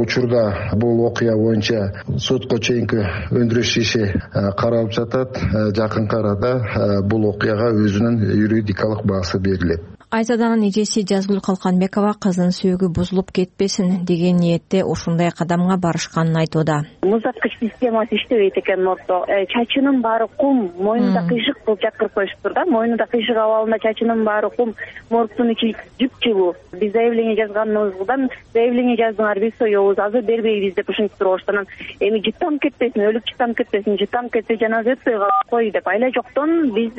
Учурда бул окуя боюнча сотко чейинки өндүрүш иши каралып жатат. Жакынкы арада бул окуяга өзүнүн юридикалык баасы берилет. Айзаданын эжеси Жазгүл Калканбекова кыздын сөөгү бузулуп кетпесин деген ниетте ушундай кадамга барышканын айтууда. Музаткыч системасы иштебейт экен мордто. Чачынын баары кум, мойнунда кыйшык кылып жаткырып коюшуптур да. Мойнунда кыйшык абалында чачынын баары кум, мордтун ичи жып-жылуу. Биз заявление жазганыбыздан заявление жаздыңар, биз соёбуз, азыр бербейбиз деп ушинтип турушкан. Эми жыттанып кетпесин, өлүп жыттанып кетпесин, жыттанып кетсе жаназа өтпөй кой деп айла жоктон биз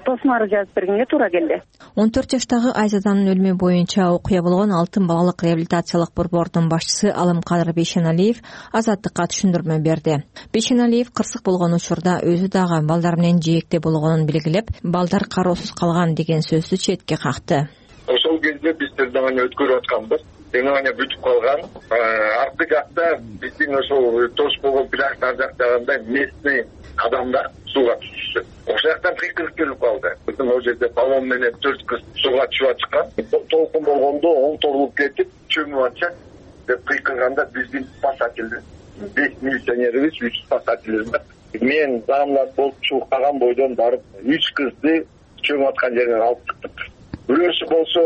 тосмары жазып бергенге туура келди. он төрт жаштагы Айзаданын өлүмү боюнча окуя болгон Алтын балалык реабилитациялык борбордун башчысы Алымкадыр Бейшеналиев азаттыкка түшүндүрмө берди. Бейшеналиев кырсык болгон учурда өзү дагы балдар менен жээкте болгонун белгилеп, балдар кароосуз калган деген сөздү четке какты. Ошол кезде биз тергөөнү өткөрүп атканбыз. Тергөөнү бүтүп калган. Аркы жакта биздин ошол тош болгон пляж ар жактагандай местный адамдар сууга түшүштү. Ошол жактан кыйкырык келип калды. Биздин ол жерде баллон менен төрт кыз сууга түшүп атышкан. Толкун болгондо оңторулуп кетип, чөмүп атышат деп кыйкырганда биздин спасательдер, беш милиционерибиз, үч спасательдер бар. Мен даамдар болуп чыгып калган бойдон барып үч кызды чөмүп аткан жерден алып чыктык. Бирөөсү болсо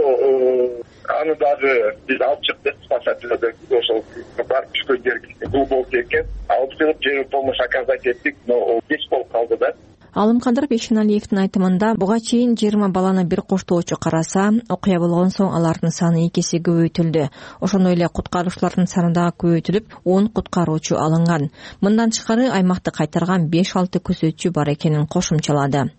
аны дагы биз алып чыктык, спасательдер ошол барып түшкөн жерге глубокий экен. Алып чыгып жер помощь оказать эттик, но кеч болуп калды да. Алымкадыр Бейшеналиевдин айтымында буга чейин жыйырма баланы бир коштоочу караса, окуя болгон соң алардын саны эки эсе көбөйтүлдү. Ошондой эле куткаруучулардын саны дагы көбөйтүлүп, он куткаруучу алынган. Мындан тышкары аймакты кайтарган беш алты көзөтчү бар экенин кошумчалады.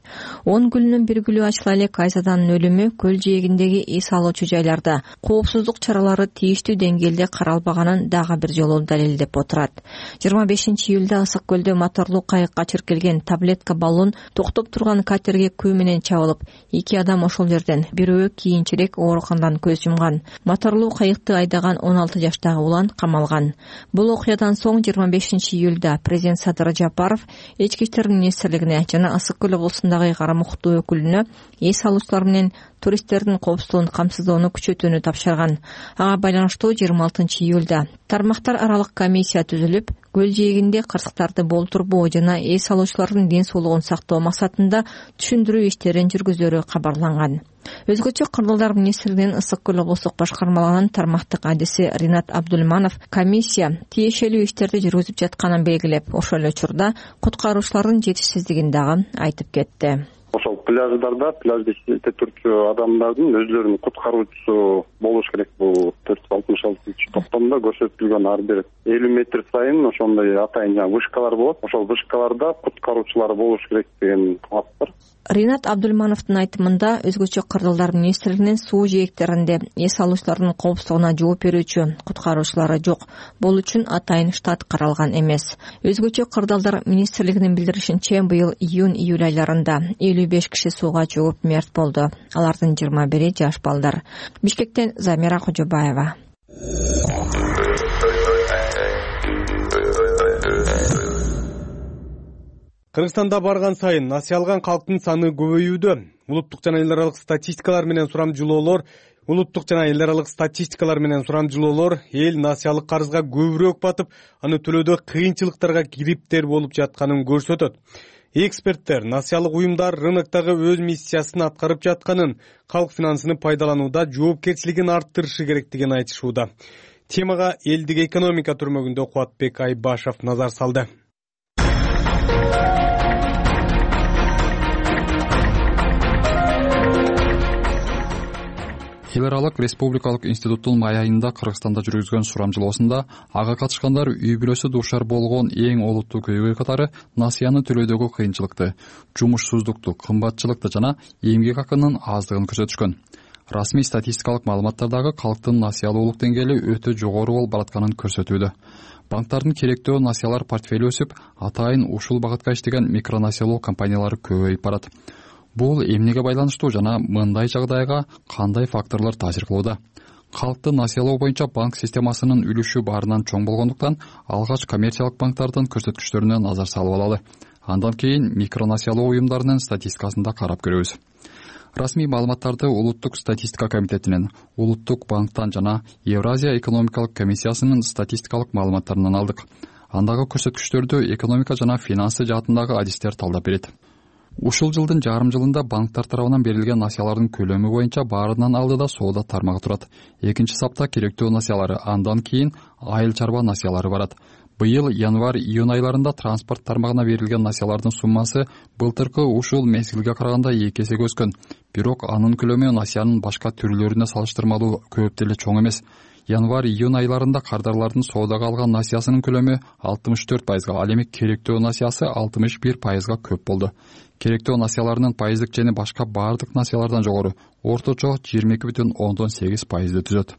он гүлүнүн бир гүлү ачыла элек Айзаданын өлүмү көл жээгиндеги эс алуучу жайларда коопсуздук чаралары тийиштүү деңгээлде каралбаганын дагы бир жолу далилдеп отурат. жыйырма бешинчи июлда Ысык көлдө моторлуу кайыкка чиркелген таблетка баллон токтоп турган катерге күү менен чабылып, эки адам ошол жерден, бирөө кийинчерээк ооруканадан көз жумган. Моторлуу кайыкты айдаган он алты жаштагы улан камалган. Бул окуядан соң жыйырма бешинчи июлда президент Садыр Жапаров Ички иштер министрлигине жана Ысык көл облусундагы карамуктуу өкүлүнө эс алуучулар менен туристтердин коопсуздугун камсыздоону күчөтүүнү тапшырган. Ага байланыштуу жыйырма алтынчы июлда тармактар аралык комиссия түзүлүп, көл жээгинде кырсыктарды болтурбоо жана эс алуучулардын ден соолугун сактоо максатында түшүндүрүү иштерин жүргүзөрү кабарланган. Өзгөчө Кырдалдар министрлигинин Ысык көл облустук башкармалыгынын тармактык адиси Ринат Абдулманов комиссия тиешелүү иштерди жүргүзүп жатканын белгилеп, ошол эле учурда куткаруучулардын жетишсиздигин дагы айтып кетти. Ошол пляждарда пляжды иштетип турчу адамдардын өзлөрүнүн куткаруучусу болуш керек. Бул төрт жүз алтымыш алтынчы токтомдо көрсөтүлгөн ар бир элүү метр сайын ошондой атайын жаңы вышкалар болот. Ошол вышкаларда куткаруучулар болуш керек деген талап бар. Ринат Абдулмановдун айтымында өзгөчө кырдалдар министрлигинин суу жээктеринде эс алуучулардын коопсуздугуна жооп берүүчү куткаруучулары жок. Бул үчүн атайын штат каралган эмес. Өзгөчө кырдалдар министрлигинин билдиришинче, быйыл июнь-июль айларында элүү беш киши сууга чөгүп мерт болду. Алардын жыйырма бири жаш балдар. Бишкектен Замира Кожобаева. Кыргызстанда барган сайын насыялган калктын саны көбөйүүдө. Улуттук жана эл аралык статистикалар менен сурамжылоолор Улуттук жана эл аралык статистикалар менен сурамжылоолор эл насыялык карызга көбүрөөк батып, аны төлөөдө кыйынчылыктарга кириптер болуп жатканын көрсөтөт. Эксперттер насыялык уюмдар рыноктогу өз миссиясын аткарып жатканын, калк финансыны пайдаланууда жоопкерчилигин арттырышы керектигин айтышууда. Темага элдик экономика түрмөгүндө Кубатбек Айбашев назар салды. Эл аралык республикалык институттун май айында Кыргызстанда жүргүзгөн сурамжылоосунда ага катышкандар үй бүлөсү дуушар болгон эң олуттуу көйгөй катары насыяны төлөөдөгү кыйынчылыкты, жумушсуздукту, кымбатчылыкты жана эмгек акынын аздыгын көрсөтүшкөн. Расмий статистикалык маалыматтардагы калктын насыялуулук деңгээли өтө жогору болуп баратканын көрсөтүүдө. Банктардын керектөө насыялар портфели өсүп, атайын ушул багытка иштеген микронасыялоо компаниялары көбөйүп барат. Бул эмнеге байланыштуу жана мындай жагдайга кандай факторлор таасир кылууда? Калкты насыялоо боюнча банк системасынын үлүшү баарынан чоң болгондуктан алгач коммерциялык банктардын көрсөткүчтөрүнө назар салып алалы. Андан кийин микронасыялоо уюмдарынын статистикасын да карап көрөбүз. Расмий маалыматтарды Улуттук статистика комитетинен, Улуттук банктан жана Евразия экономикалык комиссиясынын статистикалык маалыматтарынан алдык. Андагы көрсөткүчтөрдү экономика жана финансы жаатындагы адистер талдап берет. Ушул жылдын жарым жылында банктар тарабынан берилген насыялардын көлөмү боюнча баарынан алдыда соода тармагы турат. Экинчи сапта керектөө насыялары, андан кийин айыл чарба насыялары барат. Быйыл январь-июнь айларында транспорт тармагына берилген насыялардын суммасы былтыркы ушул мезгилге караганда эки эсеге өскөн. Бирок анын көлөмү насыянын башка түрлөрүнө салыштырмалуу көп деле чоң эмес. Январь-июнь айларында кардарлардын соодага алган насыясынын көлөмү алтымыш төрт пайызга, ал эми керектөө насыясы алтымыш бир пайызга көп болду. Керектөө насыяларынын пайыздык чени башка баардык насыялардан жогору, орточо жыйырма эки бүтүн ондон сегиз пайызды түзөт.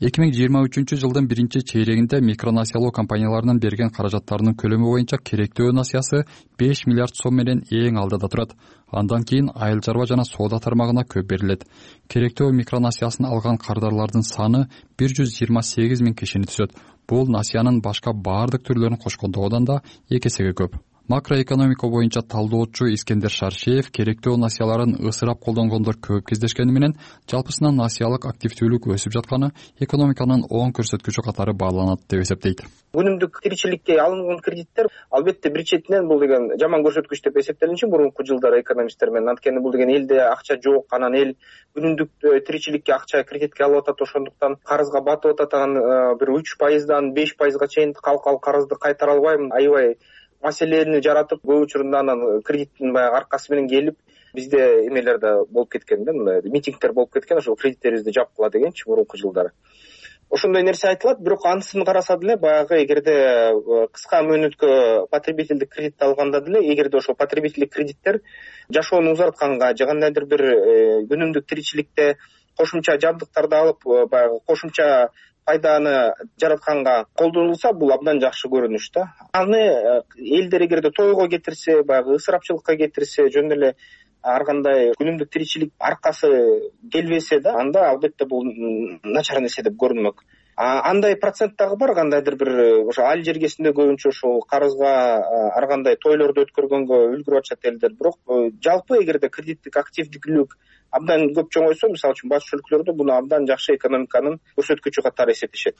эки миң жыйырма үчүнчү жылдын биринчи чейрегинде микронасыялоо компанияларынын берген каражаттарынын көлөмү боюнча керектөө насыясы беш миллиард сом менен эң алдыда турат. Андан кийин айыл чарба жана соода тармагына көп берилет. Керектөө микронасыясын алган кардарлардын саны бир жүз жыйырма сегиз миң кишини түзөт. Бул насыянын башка баардык түрлөрүн кошкондогудан да эки эсеге көп. Макроэкономика боюнча талдоочу Искендер Шаршеев керектөө насыяларын ысырап колдонгондор көп кездешкени менен жалпысынан насыялык активдүүлүк өсүп жатканы экономиканын оң көрсөткүчү катары бааланат деп эсептейт. Күнүмдүк тиричиликке алынган кредиттер албетте бир четинен бул деген жаман көрсөткүч деп эсептелинчи мурунку жылдары экономисттер менен. Анткени бул деген элде акча жок, анан эл күнүмдүк тиричиликке акча кредитке алып атат, ошондуктан карызга батып атат. Анан бир үч пайыздан беш пайызга чейин калкал карызды кайтара албайм, аябай маселени жаратып, көп учурунда анан кредиттин баягы аркасы менен келип, бизде эмелер да болуп кеткен да, митингдер болуп кеткен, ошол кредиттерибизди жапкыла дегенчи мурунку жылдары. Ошондой нерсе айтылат, бирок анысын караса деле баягы эгерде кыска мөөнөткө потребительдик кредит алганда деле, эгерде ошол потребительдик кредиттер жашоону узартканга же кандайдыр бир күнүмдүк тиричиликте кошумча жабдыктарды алып, баягы кошумча пайданы жаратканга колдонулса, бул абдан жакшы көрүнүш да. Аны элдер эгерде тойго кетирсе, баягы ысырапчылыкка кетирсе, жөн эле ар кандай күнүмдүк тиричилик аркасы келбесе да, анда албетте бул начар нерсе деп көрүнмөк. Андай процент дагы бар, кандайдыр бир ошо айыл жергесинде көбүнчө ошол карызга ар кандай тойлорду өткөргөнгө үлгүрүп атышат элдер. Бирок жалпы эгерде кредиттик активдүүлүк абдан көп чоңойсо, мисалы үчүн батыш өлкөлөрдө буну абдан жакшы экономиканын көрсөткүчү катары эсептешет.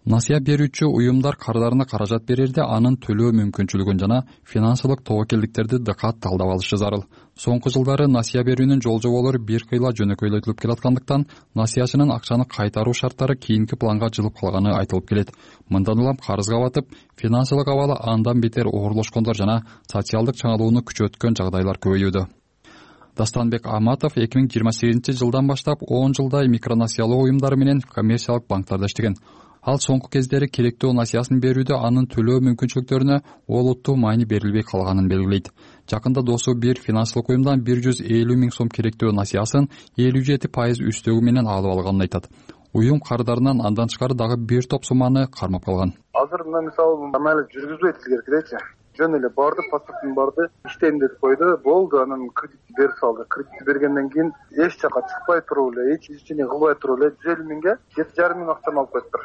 Насыя берүүчү уюмдар кардарына каражат берерде анын төлөө мүмкүнчүлүгүн жана финансылык тобокелдиктерди дыкат талдап алышы зарыл. Соңку жылдары насыя берүүнүн жол жоболору бир кыйла жөнөкөйлөтүлүп келаткандыктан насыячынын акчаны кайтаруу шарттары кийинки планга жылып калганы айтылып келет. Мындан улам карызга батып, финансылык абалы андан бетер оорлошкондор жана социалдык чаңалууну күчөткөн жагдайлар көбөйүүдө. Дастанбек Аматов эки миң жыйырма сегизинчи жылдан баштап он жылдай микронасыялоо уюмдары менен коммерциялык банктарда иштеген. Ал соңку кездери керектүү насыясын берүүдө анын төлөө мүмкүнчүлүктөрүнө олуттуу маани берилбей калганын белгилейт. Жакында досу бир финансылык уюмдан бир жүз элүү миң сом керектүү насыясын элүү жети пайыз үстөгү менен алып алганын айтат. Уюм кардарынан андан тышкары дагы бир топ сумманы кармап калган. Азыр мына мисалы амалы жүргүзбөйт силер керекчи. Жөн эле барды, паспортун барды, иштейм деп койду, болду, анан кредитти берип салды. Кредитти бергенден кийин эч жака чыкпай туруп эле, эч ишчини кылбай туруп эле жүз элүү миңге жети жарым миң акчаны алып коюптур.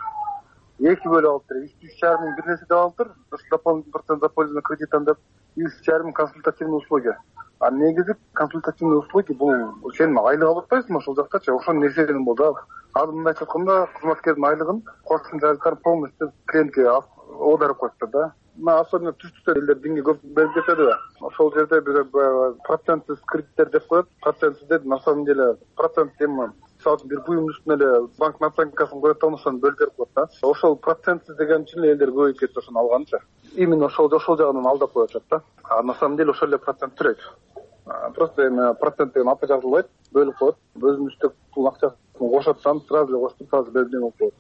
Эки бөлүп алыптыр. үч жарым миң бир нерсе деп алыптыр. Дополнительный процент за пользу кредитан деп үч жарым миң консультативный услуги. А негизи консультативный услуги бул сен айлык алып атпайсыңбы ошол жактачы? Ошол нерседен болду. Ал мындайча айтканда кызматкердин айлыгын кошумча полностью клиентке оодарып коюптур да. Мына особенно түштүктө элдер динге көп берип кетет да. Ошол жерде бир процентсиз кредиттер деп коет. Процентсиз деп на самом деле процент эми мисалы бир буюмдун үстүнө эле банк наценкасын коет да, ошону бөлүп берип коет да. Ошол процентсиз деген үчүн элдер көбөйүп кетти ошону алганчы. Именно ошол ошол жагынан алдап коюп атат да. А на самом деле ошол эле процент төрөйт. Просто эми процент деген аты жазылбайт, бөлүп коет. Өзүнүн үстөк пул акчасын кошот, сразу эле коштуп сразу берип болуп коет.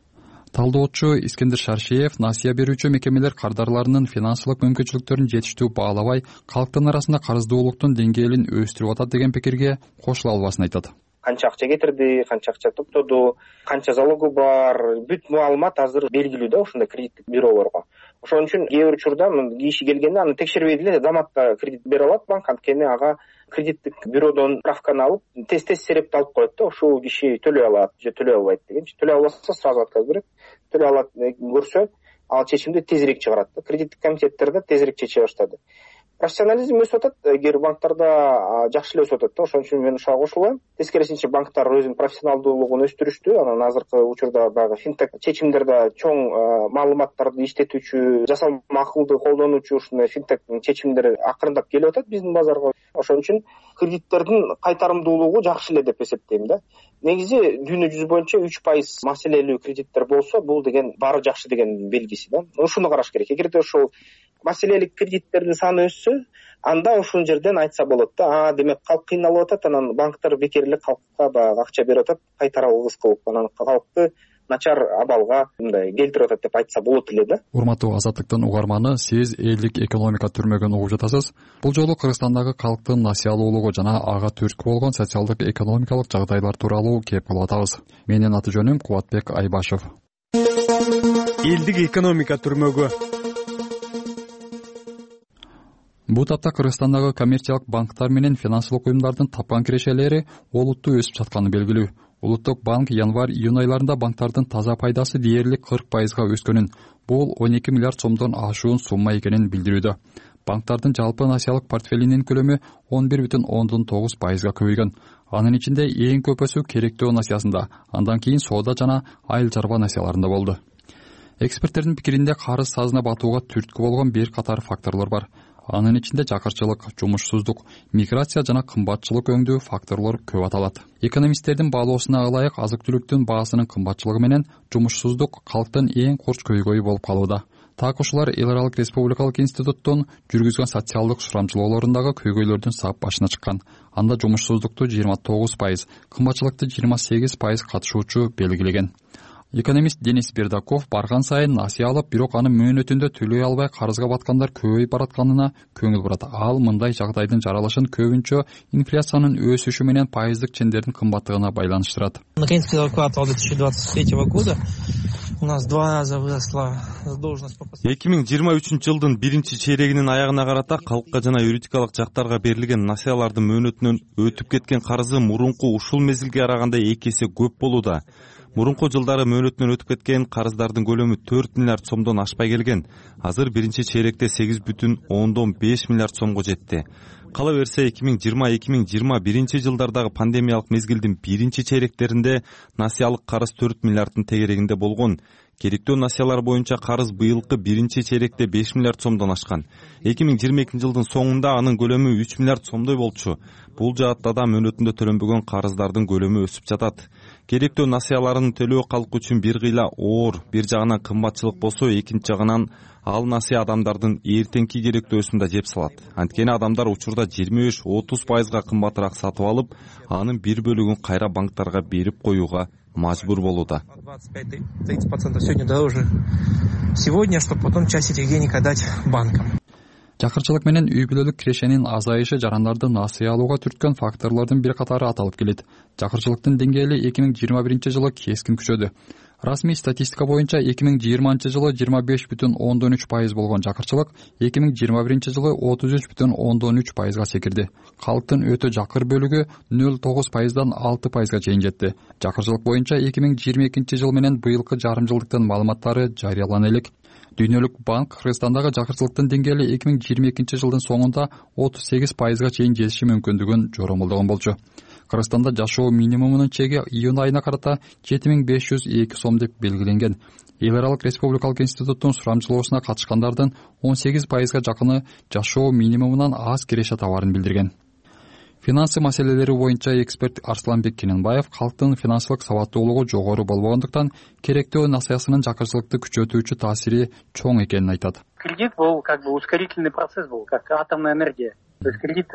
Талдоочу Искендер Шаршиев насыя берүүчү мекемелер кардарларынын финансылык мүмкүнчүлүктөрүн жетиштүү баалабай, калктын арасында карыздуулуктун деңгээлин өстүрүп атат деген пикирге кошула албасын айтат. Канча акча кетирди, канча акча топтоду, канча залогу бар, бүт маалымат азыр белгилүү да ушундай кредиттик бюролорго. Ошон үчүн кээ бир учурда киши келгенде аны текшербей деле заматта кредит бере алат банк, анткени ага кредиттик бюродон справканы алып, тез-тез серепти алып коет да, ушул киши төлөй алат же төлөй албайт дегенчи. Төлөй албаса сразу отказ берет. Төлөй алат көрсө, ал чечимди тезирээк чыгарат да. Кредиттик комитеттер да тезирээк чече баштады. Профессионализм өсүп атат, эгер банктарда жакшы эле өсүп атат да, ошон үчүн мен ушуга кошулам. Тескерисинче банктар өзүнүн профессионалдуулугун өстүрүштү. Анан азыркы учурда баягы финтек чечимдерде чоң маалыматтарды иштетүүчү, жасалма акылды колдонуучу ушундай финтек чечимдер акырындап келип атат биздин базарга. Ошон үчүн кредиттердин кайтарымдуулугу жакшы эле деп эсептейм да. Негизи дүйнө жүзү боюнча үч пайыз маселелүү кредиттер болсо, бул деген баары жакшы деген белгиси да. Ушуну караш керек. Эгерде ошол маселелик кредиттердин саны өссө, анда ушул жерден айтса болот да, а демек калк кыйналып атат, анан банктар бекер эле калкка баягы акча берип атат, кайтара алгыс кылып, анан калкты начар абалга мындай келтирип атат деп айтса болот эле да. Урматтуу Азаттыктын угарманы, сиз элдик экономика түрмөгүн угуп жатасыз. Бул жолу Кыргызстандагы калктын насыялуулугу жана ага түрткү болгон социалдык экономикалык жагдайлар тууралуу кеп кылып атабыз. Менин аты жөнүм Кубатбек Айбашев. Элдик экономика түрмөгү. Бул тапта Кыргызстандагы коммерциялык банктар менен финансылык уюмдардын тапкан кирешелери олуттуу өсүп жатканы белгилүү. Улуттук банк январь-июнь айларында банктардын таза пайдасы дээрлик кырк пайызга өскөнүн, бул он эки миллиард сомдон ашуун сумма экенин билдирүүдө. Банктардын жалпы насыялык портфелинин көлөмү он бир бүтүн ондон тогуз пайызга көбөйгөн. Анын ичинде эң көп өсүү керектөө насыясында, андан кийин соода жана айыл чарба насыяларында болду. Эксперттердин пикиринде карыз сазына батууга түрткү болгон бир катар факторлор бар. Анын ичинде жакырчылык, жумушсуздук, миграция жана кымбатчылык өңдүү факторлор көп аталат. Экономисттердин баалоосуна ылайык азык-түлүктүн баасынын кымбатчылыгы менен жумушсуздук калктын эң курч көйгөйү болуп калууда. Так ушулар Эл аралык республикалык институттун жүргүзгөн социалдык сурамчылоолорундагы көйгөйлөрдүн сап башына чыккан. Анда жумушсуздукту жыйырма тогуз пайыз, кымбатчылыкты жыйырма сегиз пайыз катышуучу белгилеген. Экономист Денис Бердаков барган сайын насыя алып, бирок анын мөөнөтүндө төлөй албай карызга баткандар көбөйүп баратканына көңүл бурат. Ал мындай жагдайдын жаралышын көбүнчө инфляциянын өсүшү менен пайыздык чендердин кымбаттыгына байланыштырат. Наконец-то квартал две тысячи двадцать третьего года у нас два раза выросла задолженность по эки миң жыйырма үчүнчү жылдын биринчи чейрегинин аягына карата калкка жана юридикалык жактарга берилген насыялардын мөөнөтүнөн өтүп кеткен карызы мурунку ушул мезгилге караганда эки эсе көп болууда. Мурунку жылдары мөөнөтүнөн өтүп кеткен карыздардын көлөмү төрт миллиард сомдон ашпай келген. Азыр биринчи чейректе сегиз бүтүн ондон беш миллиард сомго жетти. Кала берсе эки миң жыйырма эки миң жыйырма биринчи жылдардагы пандемиялык мезгилдин биринчи чейректеринде насыялык карыз төрт миллиарддын тегерегинде болгон. Керектөө насыялар боюнча карыз быйылкы биринчи чейректе беш миллиард сомдон ашкан. эки миң жыйырма экинчи жылдын соңунда анын көлөмү үч миллиард сомдой болчу. Бул жаатта да мөөнөтүндө төлөнбөгөн карыздардын көлөмү өсүп жатат. Керектөө насыяларын төлөө калк үчүн бир кыйла оор, бир жагынан кымбатчылык болсо, экинчи жагынан ал насыя адамдардын эртеңки керектөөсүн да жеп салат. Анткени адамдар учурда жыйырма беш отуз пайызга кымбатыраак сатып алып, анын бир бөлүгүн кайра банктарга берип коюуга мажбур болууда. тридцать процентов сегодня дороже сегодня, чтобы потом часть этих денег отдать банкам. Жакырчылык менен үй бүлөлүк кирешенин азайышы жарандарды насыя алууга түрткөн факторлордун бир катары аталып келет. Жакырчылыктын деңгээли эки миң жыйырма биринчи жылы кескин күчөдү. Расмий статистика боюнча эки миң жыйырманчы жылы жыйырма беш бүтүн ондон үч пайыз болгон жакырчылык эки миң жыйырма биринчи жылы отуз үч бүтүн ондон үч пайызга секирди. Калктын өтө жакыр бөлүгү нөл тогуз пайыздан алты пайызга чейин жетти. Жакырчылык боюнча эки миң жыйырма экинчи жыл менен быйылкы жарым жылдыктын маалыматтары жарыялана элек. Дүйнөлүк банк Кыргызстандагы жакырчылыктын деңгээли эки миң жыйырма экинчи жылдын соңунда отуз сегиз пайызга чейин жетиши мүмкүндүгүн жоромолдогон болчу. Кыргызстанда жашоо минимумунун чеги июнь айына карата жети миң беш жүз эки сом деп белгиленген. Эл аралык республикалык институттун сурамчылоосуна катышкандардын он сегиз пайызга жакыны жашоо минимумунан аз киреше табарын билдирген. Финансы маселелери боюнча эксперт Арсланбек Кененбаев калктын финансылык сабаттуулугу жогору болбогондуктан керектөө насыясынын жакырчылыкты күчөтүүчү таасири чоң экенин айтат. Кредит был как бы ускорительный процесс был, как атомная энергия. То есть кредит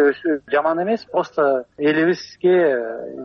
жаман эмес, просто элибизге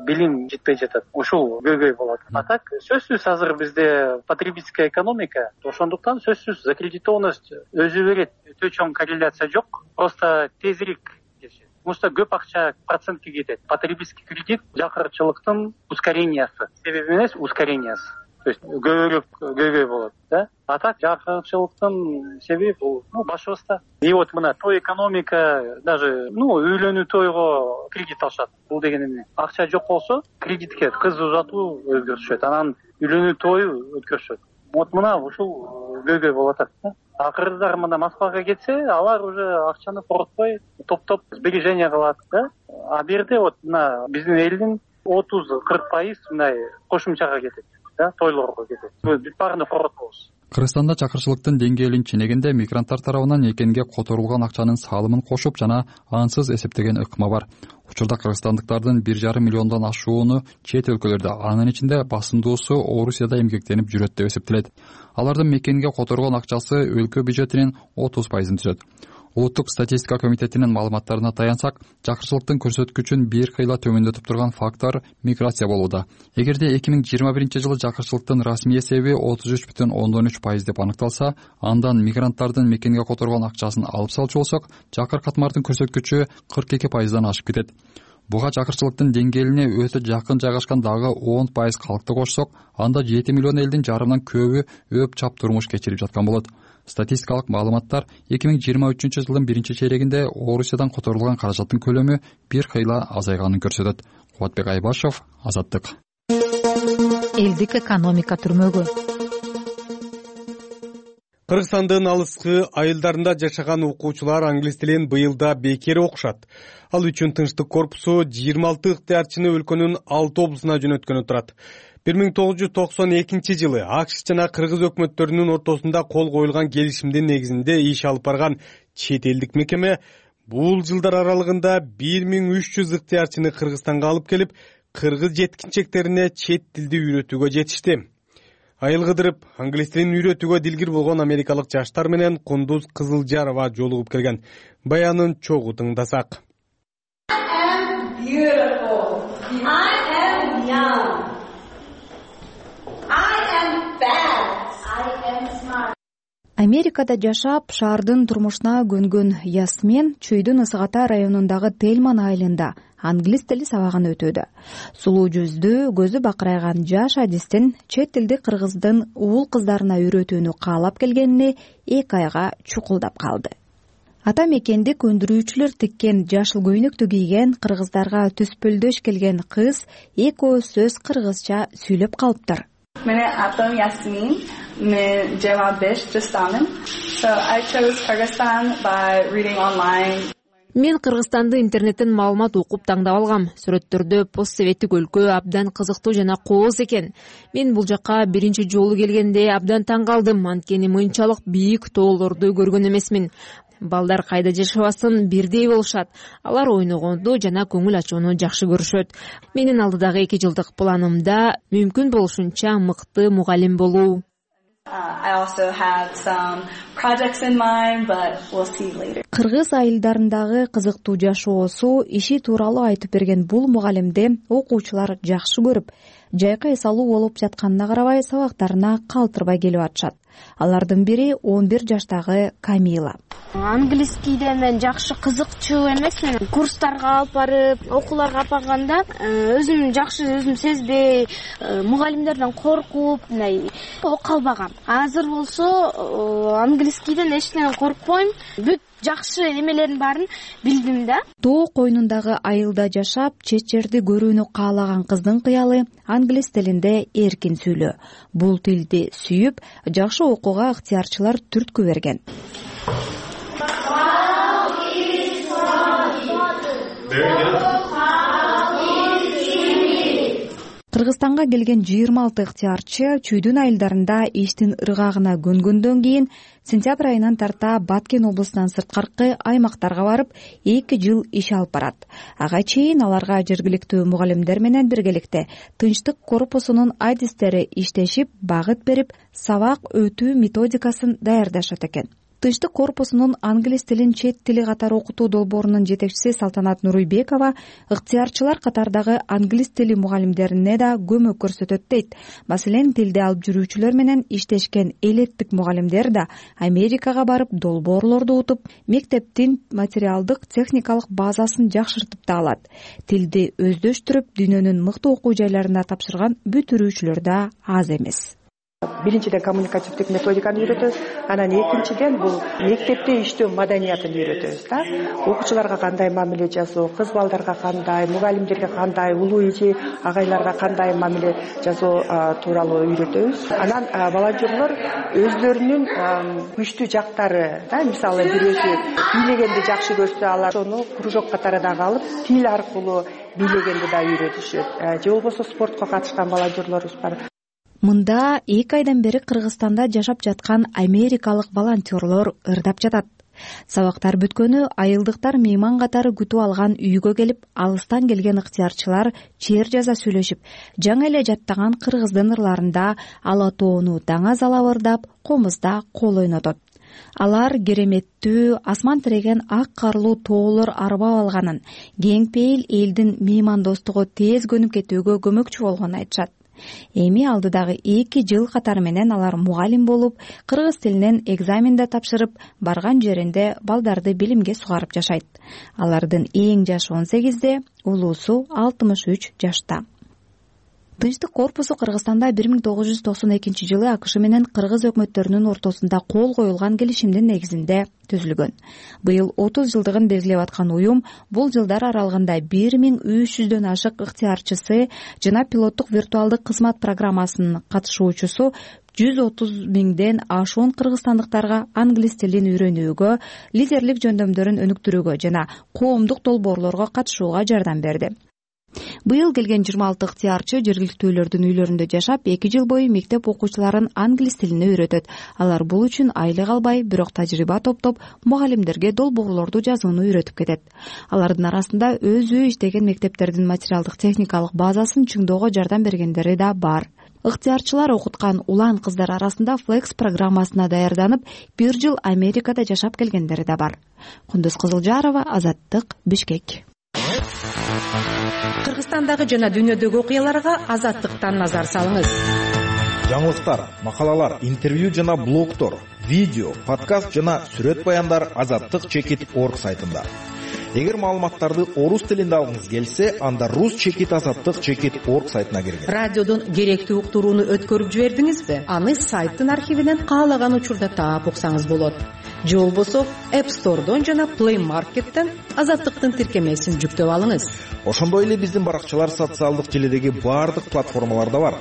билим жетпей жатат. Ушул көйгөй болот. А так сөзсүз азыр бизде потребительская экономика, ошондуктан сөзсүз закредитованность өзү берет. Өтө чоң корреляция жок, просто тезирээк кетишет. Потому что көп акча процентке кетет. Потребительский кредит жакырчылыктын ускорениясы. Себеби эмес, ускорениясы. То есть көбүрөөк көйгөй болот, да? А так жакырчылыктын себеби бул, ну, башыбызда. И вот мына той экономика, даже, ну, үйлөнүү тойго кредит алышат. Бул деген эмне? Акча жок болсо, кредитке кыз узатуу өзгөртүшөт, анан үйлөнүү тою өткөрүшөт. Вот мына ушул көйгөй болуп атат, да? А кыргыздар мына Москвага кетсе, алар уже акчаны коротпой топ-топ сбережение кылат, да? А бул жерде вот мына биздин элдин отуз кырк пайыз мындай кошумчага кетет. Да, тойлорго кетет. Бүт баарын коротпойбуз. Кыргызстанда чакырчылыктын деңгээлин ченегенде мигранттар тарабынан экенге которулган акчанын салымын кошуп жана ансыз эсептеген ыкма бар. Учурда кыргызстандыктардын бир жарым миллиондон ашууну чет өлкөлөрдө, анын ичинде басымдуусу Орусияда эмгектенип жүрөт деп эсептелет. Алардын мекенге которгон акчасы өлкө бюджетинин отуз пайызын түзөт. Улуттук статистика комитетинин маалыматтарына таянсак, жакырчылыктын көрсөткүчүн бир кыйла төмөндөтүп турган фактор миграция болууда. Эгерде эки миң жыйырма биринчи жылы жакырчылыктын расмий эсеби отуз үч бүтүн ондон үч пайыз деп аныкталса, андан мигранттардын мекенге которгон акчасын алып салчу болсок, жакыр катмардын көрсөткүчү кырк эки пайыздан ашып кетет. Буга жакырчылыктын деңгээлине өтө жакын жайгашкан дагы он пайыз калкты кошсок, анда жети миллион элдин жарымынан көбү өп чап турмуш кечирип жаткан болот. Статистикалык маалыматтар эки миң жыйырма үчүнчү жылдын биринчи чейрегинде Орусиядан которулган каражаттын көлөмү бир кыйла азайганын көрсөтөт. Кубатбек Айбашев, Азаттык. Элдик экономика түрмөгү. Кыргызстандын алыскы айылдарында жашаган окуучулар англис тилин быйылда бекер окушат. Ал үчүн Тынчтык корпусу жыйырма алты ыктыярчыны өлкөнүн алты облусуна жөнөткөнү турат. бир миң тогуз жүз токсон экинчи жылы АКШ жана Кыргыз өкмөттөрүнүн ортосунда кол коюлган келишимдин негизинде иш алып барган чет элдик мекеме бул жылдар аралыгында бир миң үч жүз ыктыярчыны Кыргызстанга алып келип, кыргыз жеткинчектерине чет тилди үйрөтүүгө жетишти. Айыл кыдырып, англис тилин үйрөтүүгө дилгир болгон америкалык жаштар менен Кундуз Кызылжарова жолугуп келген. Баянын чогуу тыңдасак. Америкада жашап, шаардын турмушуна көнгөн Ясмен Чүйдүн Ысык-Ата районундагы Тельман айылында англис тили сабагын өтүүдө. Сулуу жүздүү, көзү бакырайган жаш адистин чет тилди кыргыздын уул кыздарына үйрөтүүнү каалап келгенине эки айга чукулдап калды. Ата мекенди көндүрүүчүлөр тиккен жашыл көйнөктү кийген, кыргыздарга түспөлдөш келген кыз экөө сөз кыргызча сүйлөп калыптыр. Менин атым Ясмин, мен жыйырма беш жаштамын. So I chose Kyrgyzstan by reading online. Мен Кыргызстанды интернеттен маалымат окуп таңдап алгам. Сүрөттөрдө постсоветтик өлкө абдан кызыктуу жана кооз экен. Мен бул жакка биринчи жолу келгенде абдан таң калдым, анткени мынчалык бийик тоолорду көргөн эмесмин. Балдар кайда жашабасын бирдей болушат. Алар ойногонду жана көңүл ачууну жакшы көрүшөт. Менин алдыдагы эки жылдык планымда мүмкүн болушунча мыкты мугалим болуу. I also have some projects in mind, but we'll see later. Кыргыз айылдарындагы кызыктуу жашоосу иши тууралуу айтып берген бул мугалимди окуучулар жакшы көрүп, жайкы эс алуу болуп жатканына карабай сабактарына калтырбай келип атышат. Алардын бири он бир жаштагы Камила. Английскийде мен жакшы кызыкчу эмесмин. Курстарга алып барып, окууларга алып барганда өзүм жакшы өзүм сезбей, мугалимдерден коркуп, мындай окуп калбагам. Азыр болсо английскийден эч нерседен коркпойм. Бүт жакшы эмелердин баарын билдим да. Тоо койнундагы айылда жашап, чет жерди көрүүнү каалаган кыздын кыялы англис тилинде эркин сүйлөө. Бул тилди сүйүп, жакшы окууга ыктыярчылар түрткү берген. Кыргызстанга келген жыйырма алты ыктыярчы чүйдүн айылдарында иштин ыргагына көнгөндөн кийин сентябрь айынан тарта Баткен облусунан сырткаркы аймактарга барып, эки жыл иш алып барат. Ага чейин аларга жергиликтүү мугалимдер менен биргеликте тынчтык корпусунун адистери иштешип, багыт берип, сабак өтүү методикасын даярдашат экен. Тынчтык корпусунун англис тилин чет тили катары окутуу долбоорунун жетекчиси Салтанат Нуруйбекова ыктыярчылар катардагы англис тили мугалимдерине да көмөк көрсөтөт дейт. Маселен, тилди алып жүрүүчүлөр менен иштешкен элеттик мугалимдер да Америкага барып долбоорлорду утуп, мектептин материалдык техникалык базасын жакшыртып да алат. Тилди өздөштүрүп, дүйнөнүн мыкты окуу жайларына тапшырган бүтүрүүчүлөр да аз эмес. Биринчиден коммуникативдик методиканы үйрөтөбүз, анан экинчиден бул мектепте иштөө маданиятын үйрөтөбүз да. Окуучуларга кандай мамиле жасоо, кыз балдарга кандай, мугалимдерге кандай, улуу эже агайларга кандай мамиле жасоо тууралуу үйрөтөбүз. Анан волонтерлор өздөрүнүн күчтүү жактары, да, мисалы бирөөсү бийлегенди жакшы көрсө, алар ошону кружок катары дагы алып, тил аркылуу бийлегенди да үйрөтүшөт. Же болбосо спортко катышкан волонтерлорубуз бар. Мында эки айдан бери Кыргызстанда жашап жаткан америкалык волонтерлор ырдап жатат. Сабактар бүткөнү айылдыктар мейман катары күтүп алган үйгө келип, алыстан келген ыктыярчылар чер жаза сүйлөшүп, жаңы эле жаттаган кыргыздын ырларында ала тоону даңаз алап ырдап, комузда кол ойнотот. Алар кереметтүү, асман тиреген ак карлуу тоолор арбап алганын, кең пейил элдин меймандостугу тез көнүп кетүүгө көмөкчү болгонун айтышат. Эми алдыдагы эки жыл катары менен алар мугалим болуп, кыргыз тилинен экзамен да тапшырып, барган жеринде балдарды билимге сугарып жашайт. Алардын эң жашы он сегизде, улуусу алтымыш үч жашта. Тынчтык корпусу Кыргызстанда бир миң тогуз жүз токсон экинчи жылы АКШ менен кыргыз өкмөттөрүнүн ортосунда кол коюлган келишимдин негизинде түзүлгөн. Быйыл отуз жылдыгын белгилеп аткан уюм бул жылдар аралыгында бир миң үч жүздөн ашык ыктыярчысы жана пилоттук виртуалдык кызмат программасынын катышуучусу жүз отуз миңден ашуун кыргызстандыктарга англис тилин үйрөнүүгө, лидерлик жөндөмдөрүн өнүктүрүүгө жана коомдук долбоорлорго катышууга жардам берди. Быйыл келген жыйырма алты ыктыярчы жергиликтүүлөрдүн үйлөрүндө жашап, эки жыл бою мектеп окуучуларын англис тилине үйрөтөт. Алар бул үчүн айлык албай, бирок тажрыйба топтоп, мугалимдерге долбоорлорду жазууну үйрөтүп кетет. Алардын арасында өзү иштеген мектептердин материалдык техникалык базасын чыңдоого жардам бергендери да бар. Ыктыярчылар окуткан улан кыздар арасында Flex программасына даярданып, бир жыл Америкада жашап келгендери да бар. Кундуз Кызылжарова, Азаттык, Бишкек. Кыргызстандагы жана дүйнөдөгү окуяларга Азаттыктан назар салыңыз. Жаңылыктар, макалалар, интервью жана блогтор, видео, подкаст жана сүрөт баяндар азаттык чекит точка орг сайтында. Эгер маалыматтарды орус тилинде алгыңыз келсе, анда рус чекит азаттык чекит точка орг сайтына киргин. Радиодон керектүү уктурууну өткөрүп жибердиңизби? Аны сайттын архивинен каалаган учурда таап уксаңыз болот. Же болбосо App Store'дон жана Play Market'тен Азаттыктын тиркемесин жүктөп алыңыз. Ошондой эле биздин баракчалар социалдык желедеги баардык платформаларда бар.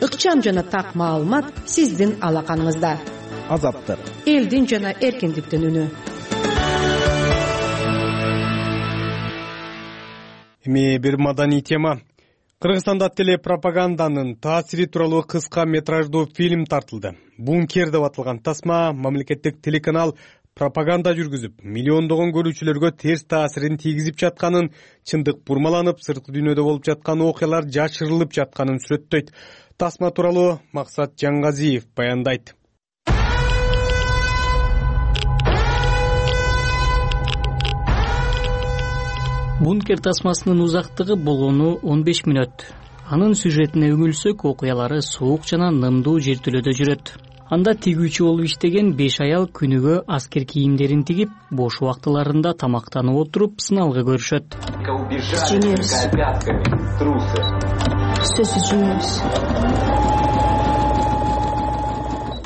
Ыкчам жана так маалымат сиздин алаканыңызда. Азаттык. Элдин жана эркиндиктин үнү. Эми бир маданий тема. Кыргызстанда телепропаганданын таасири тууралуу кыска метраждуу фильм тартылды. Бункер деп аталган тасма мамлекеттик телеканал пропаганда жүргүзүп, миллиондогон көрүүчүлөргө терс таасирин тийгизип жатканын, чындык бурмаланып, сырткы дүйнөдө болуп жаткан окуялар жашырылып жатканын сүрөттөйт. Тасма тууралуу Максат Жаңгазиев баяндайт. Бункер тасмасынын узактыгы болгону он беш мүнөт. Анын сюжетине үңүлсөк, окуялары суук жана нымдуу жертөлөдө жүрөт. Анда тигүүчү болуп иштеген беш аял күнүгө аскер кийимдерин тигип, бош убактыларында тамактанып отуруп сыналгы көрүшөт.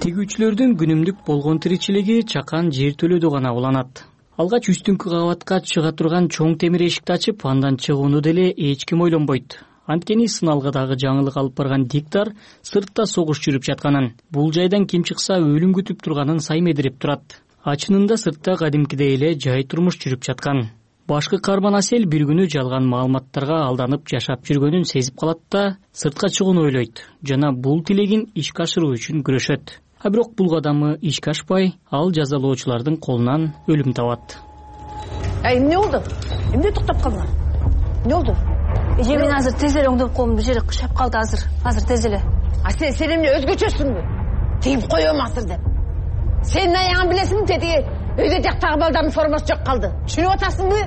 Тигүүчүлөрдүн күнүмдүк болгон тиричилиги чакан жертөлөдө гана уланат. Алгач үстүңкү кабатка чыга турган чоң темир эшикти ачып, андан чыгууну деле эч ким ойлонбойт. Анткени сыналгыдагы жаңылык алып барган диктор сыртта согуш жүрүп жатканын, бул жайдан ким чыкса өлүм күтүп турганын саймедирип турат. Ачынында сыртта кадимкидей эле жай турмуш жүрүп жаткан. Башкы каарман Асел бир күнү жалган маалыматтарга алданып жашап жүргөнүн сезип калат да сыртка чыгууну ойлойт жана бул тилегин ишке ашыруу үчүн күрөшөт. А бирок бул кадамы ишке ашпай, ал жазалоочулардын колунан өлүм табат. Ай, эмне болду? Эмне токтоп калдың? Эмне болду? Эже, мен азыр тез эле оңдоп коем, бир жери кышап калды азыр. Азыр тез эле. А сен сен эмне өзгөчөсүңбү? Тигип коем азыр деп. Сенин аягың билесиңби, тетиги өйдө жактагы балдардын формасы жок калды. Түшүнүп атасыңбы?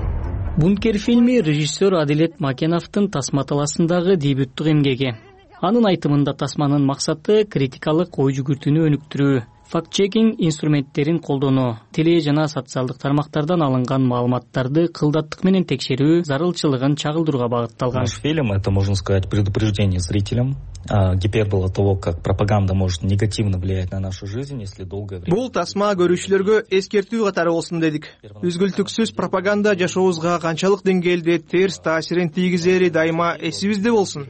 Бункер фильми режиссер Адилет Макеновдун Тасма талаасындагы дебюттук эмгеги. Анын айтымында тасманын максаты критикалык ой жүгүртүүнү өнүктүрүү, факт-чекинг инструменттерин колдонуу, теле жана социалдык тармактардан алынган маалыматтарды кылдаттык менен текшерүү зарылчылыгын чагылдырууга багытталган. Наш фильм — это, можно сказать, предупреждение зрителям, гипербола того, как пропаганда может негативно влиять на нашу жизнь, если долгое время. Бул тасма көрүүчүлөргө эскертүү катары болсун дедик. Үзгүлтүксүз пропаганда жашообузга канчалык деңгээлде терс таасирин тийгизери дайыма эсибизде болсун.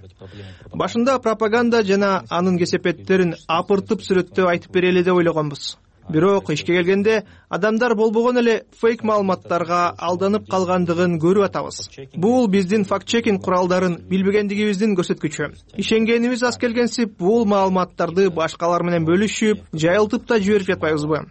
Башында пропаганда жана анын кесепеттерин апыртып сүрөттөп айтып берели деп ойлогонбуз. Бирок ишке келгенде адамдар болбогон эле фейк маалыматтарга алданып калгандыгын көрүп атабыз. Бул биздин факт-чекинг куралдарын билбегендигибиздин көрсөткүчү. Ишенгенибиз аз келгенсип, бул маалыматтарды башкалар менен бөлүшүп, жайылтып да жиберип жатпайбызбы?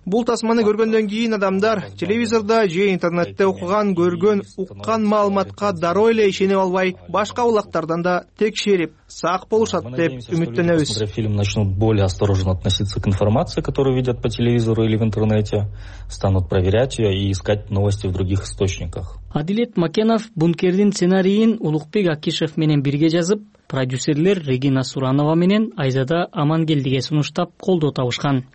Бул тасманы көргөндөн кийин адамдар телевизордо же интернетте окуган, көргөн, уккан маалыматка дароо эле ишенип албай, башка булактардан да текшерип, сак болушат деп үмүттөнөбүз. Смотря фильм, начнут более осторожно относиться к информации, которую видят по телевизору или в интернете, станут проверять ее и искать новости в других источниках. Адилет Макенов Бункердин сценарийин Улукбек Акишев менен бирге жазып, продюсерлер Регина Суранова менен Айзада Амангелдиге сунуштап колдоо табышкан.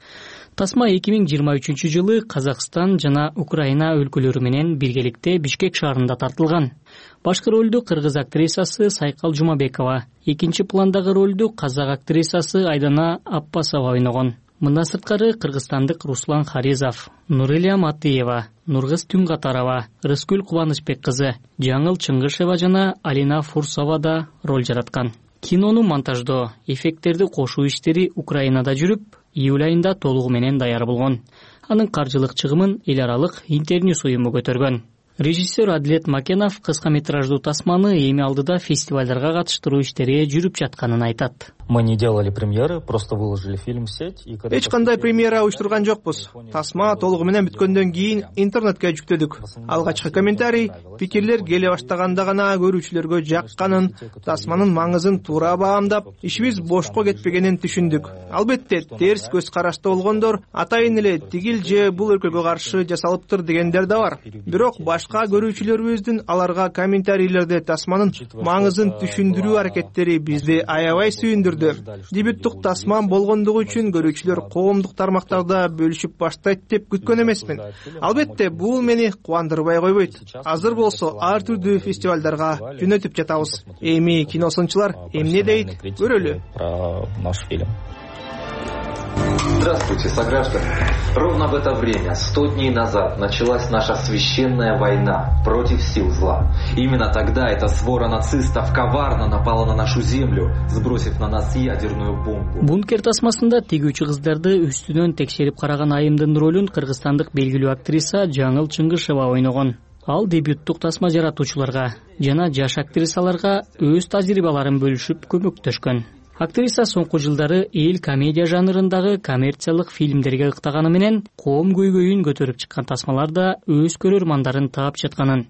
Тасма эки миң жыйырма үчүнчү жылы Казакстан жана Украина өлкөлөрү менен биргеликте Бишкек шаарында тартылган. Башкы ролду кыргыз актрисасы Сайкал Жумабекова, экинчи пландагы ролду казак актрисасы Айдана Аппасова ойногон. Мындан сырткары кыргызстандык Руслан Харизов, Нурилия Матыева, Нургыз Түнгатарова, Рыскүл Кубанычбек кызы, Жаңыл Чыңгышева жана Алина Фурсова да роль жараткан. Кинону монтаждоо, эффекттерди кошуу иштери Украинада жүрүп, июль айында толугу менен даяр болгон. Анын каржылык чыгымын эл аралык Интерньюс уюму көтөргөн. Режиссер Адилет Макенов кыска метраждуу тасманы эми алдыда фестивалдарга катыштыруу иштери жүрүп жатканын айтат. Мы не делали премьеры, просто выложили фильм в сеть. Эч кандай премьера уюштурган жокпуз. Тасма толугу менен бүткөндөн кийин интернетке жүктөдүк. Алгачкы комментарий, пикирлер келе баштаганда гана көрүүчүлөргө жакканын, тасманын маңызын туура баамдап, ишибиз бошко кетпегенин түшүндүк. Албетте, терс көз карашта болгондор атайын эле тигил же бул өлкөгө каршы жасалыптыр дегендер да бар. Бирок башка көрүүчүлөрүбүздүн аларга комментарийлерде тасманын маңызын түшүндүрүү аракеттери бизди аябай сүйүндүрдү. Дебюттук тасман болгондугу үчүн көрүүчүлөр коомдук тармактарда бөлүшүп баштайт деп күткөн эмесмин. Албетте, бул мени кубандырбай койбойт. Азыр болсо ар түрдүү фестивалдарга жөнөтүп жатабыз. Эми киносунчулар эмне дейт, көрөлү. Про наш фильм. Здравствуйте, сограждане. Ровно в это время, сто дней назад, началась наша священная война против сил зла. Именно тогда эта свора нацистов коварно напала на нашу землю, сбросив на нас ядерную бомбу. Бункер тасмасында тигүүчү кыздарды үстүнөн текшерип караган айымдын ролун кыргызстандык белгилүү актриса Жаңыл Чыңгышева ойногон. Ал дебюттук тасма жаратуучуларга жана жаш актрисаларга өз тажрыйбаларын бөлүшүп көмөктөшкөн. Актриса соңку жылдары эл комедия жанрындагы коммерциялык фильмдерге ыктаганы менен коом көйгөйүн көтөрүп чыккан тасмаларда өз көрөрмандарын таап жатканын,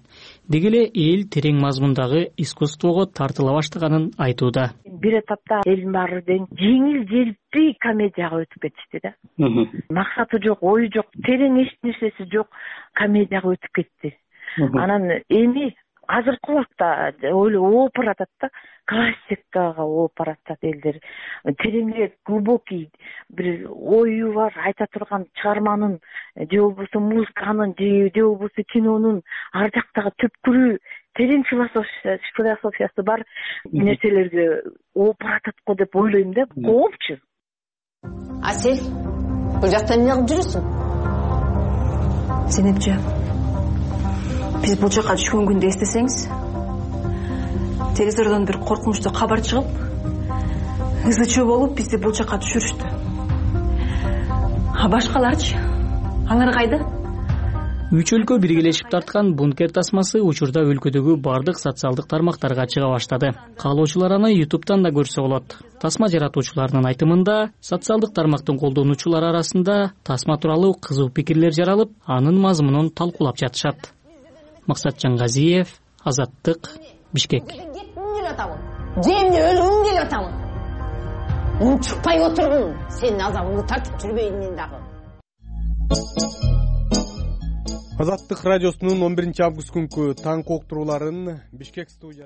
деги эле эл терең мазмундагы искусствого тартыла баштаганын айтууда. Бир этапта элдин баары дең жеңил желпи комедияга өтүп кетишти да. Максаты жок, ою жок, терең эч нерсеси жок комедияга өтүп кетти. Анан эми азыркы убакта ооп баратат да, классикага ооп баратат элдер. Тереңирээк, глубокий бир ою бар, айта турган чыгарманын же болбосо музыканын же болбосо кинонун ар жактагы түпкүрү, терең философиясы бар нерселерге ооп баратат го деп ойлойм да. Коопчу. Асель, бул жакта эмне кылып жүрөсүң? Зейнепче, биз бул жака түшкөн күндү эстесеңиз, телевизордон бир коркунучтуу кабар чыгып, ызы чуу болуп бизди бул жака түшүрүштү. А башкаларчы? Алар кайда? Үч өлкө биргелешип тарткан бункер тасмасы учурда өлкөдөгү бардык социалдык тармактарга чыга баштады. Каалоочулар аны ютубтан да көрсө болот. Тасма жаратуучуларынын айтымында, социалдык тармактын колдонуучулар арасында тасма тууралуу кызуу пикирлер жаралып, анын мазмунун талкуулап жатышат. Максатжан Газиев, Азаттык, Бишкек. Жемде өлгүм келип атамын. Унчукпай отургун, сенин азабыңды тартып жүрбөйүн мен дагы. Азаттык радиосунун он биринчи август күнкү таң коктурууларын Бишкек студиясы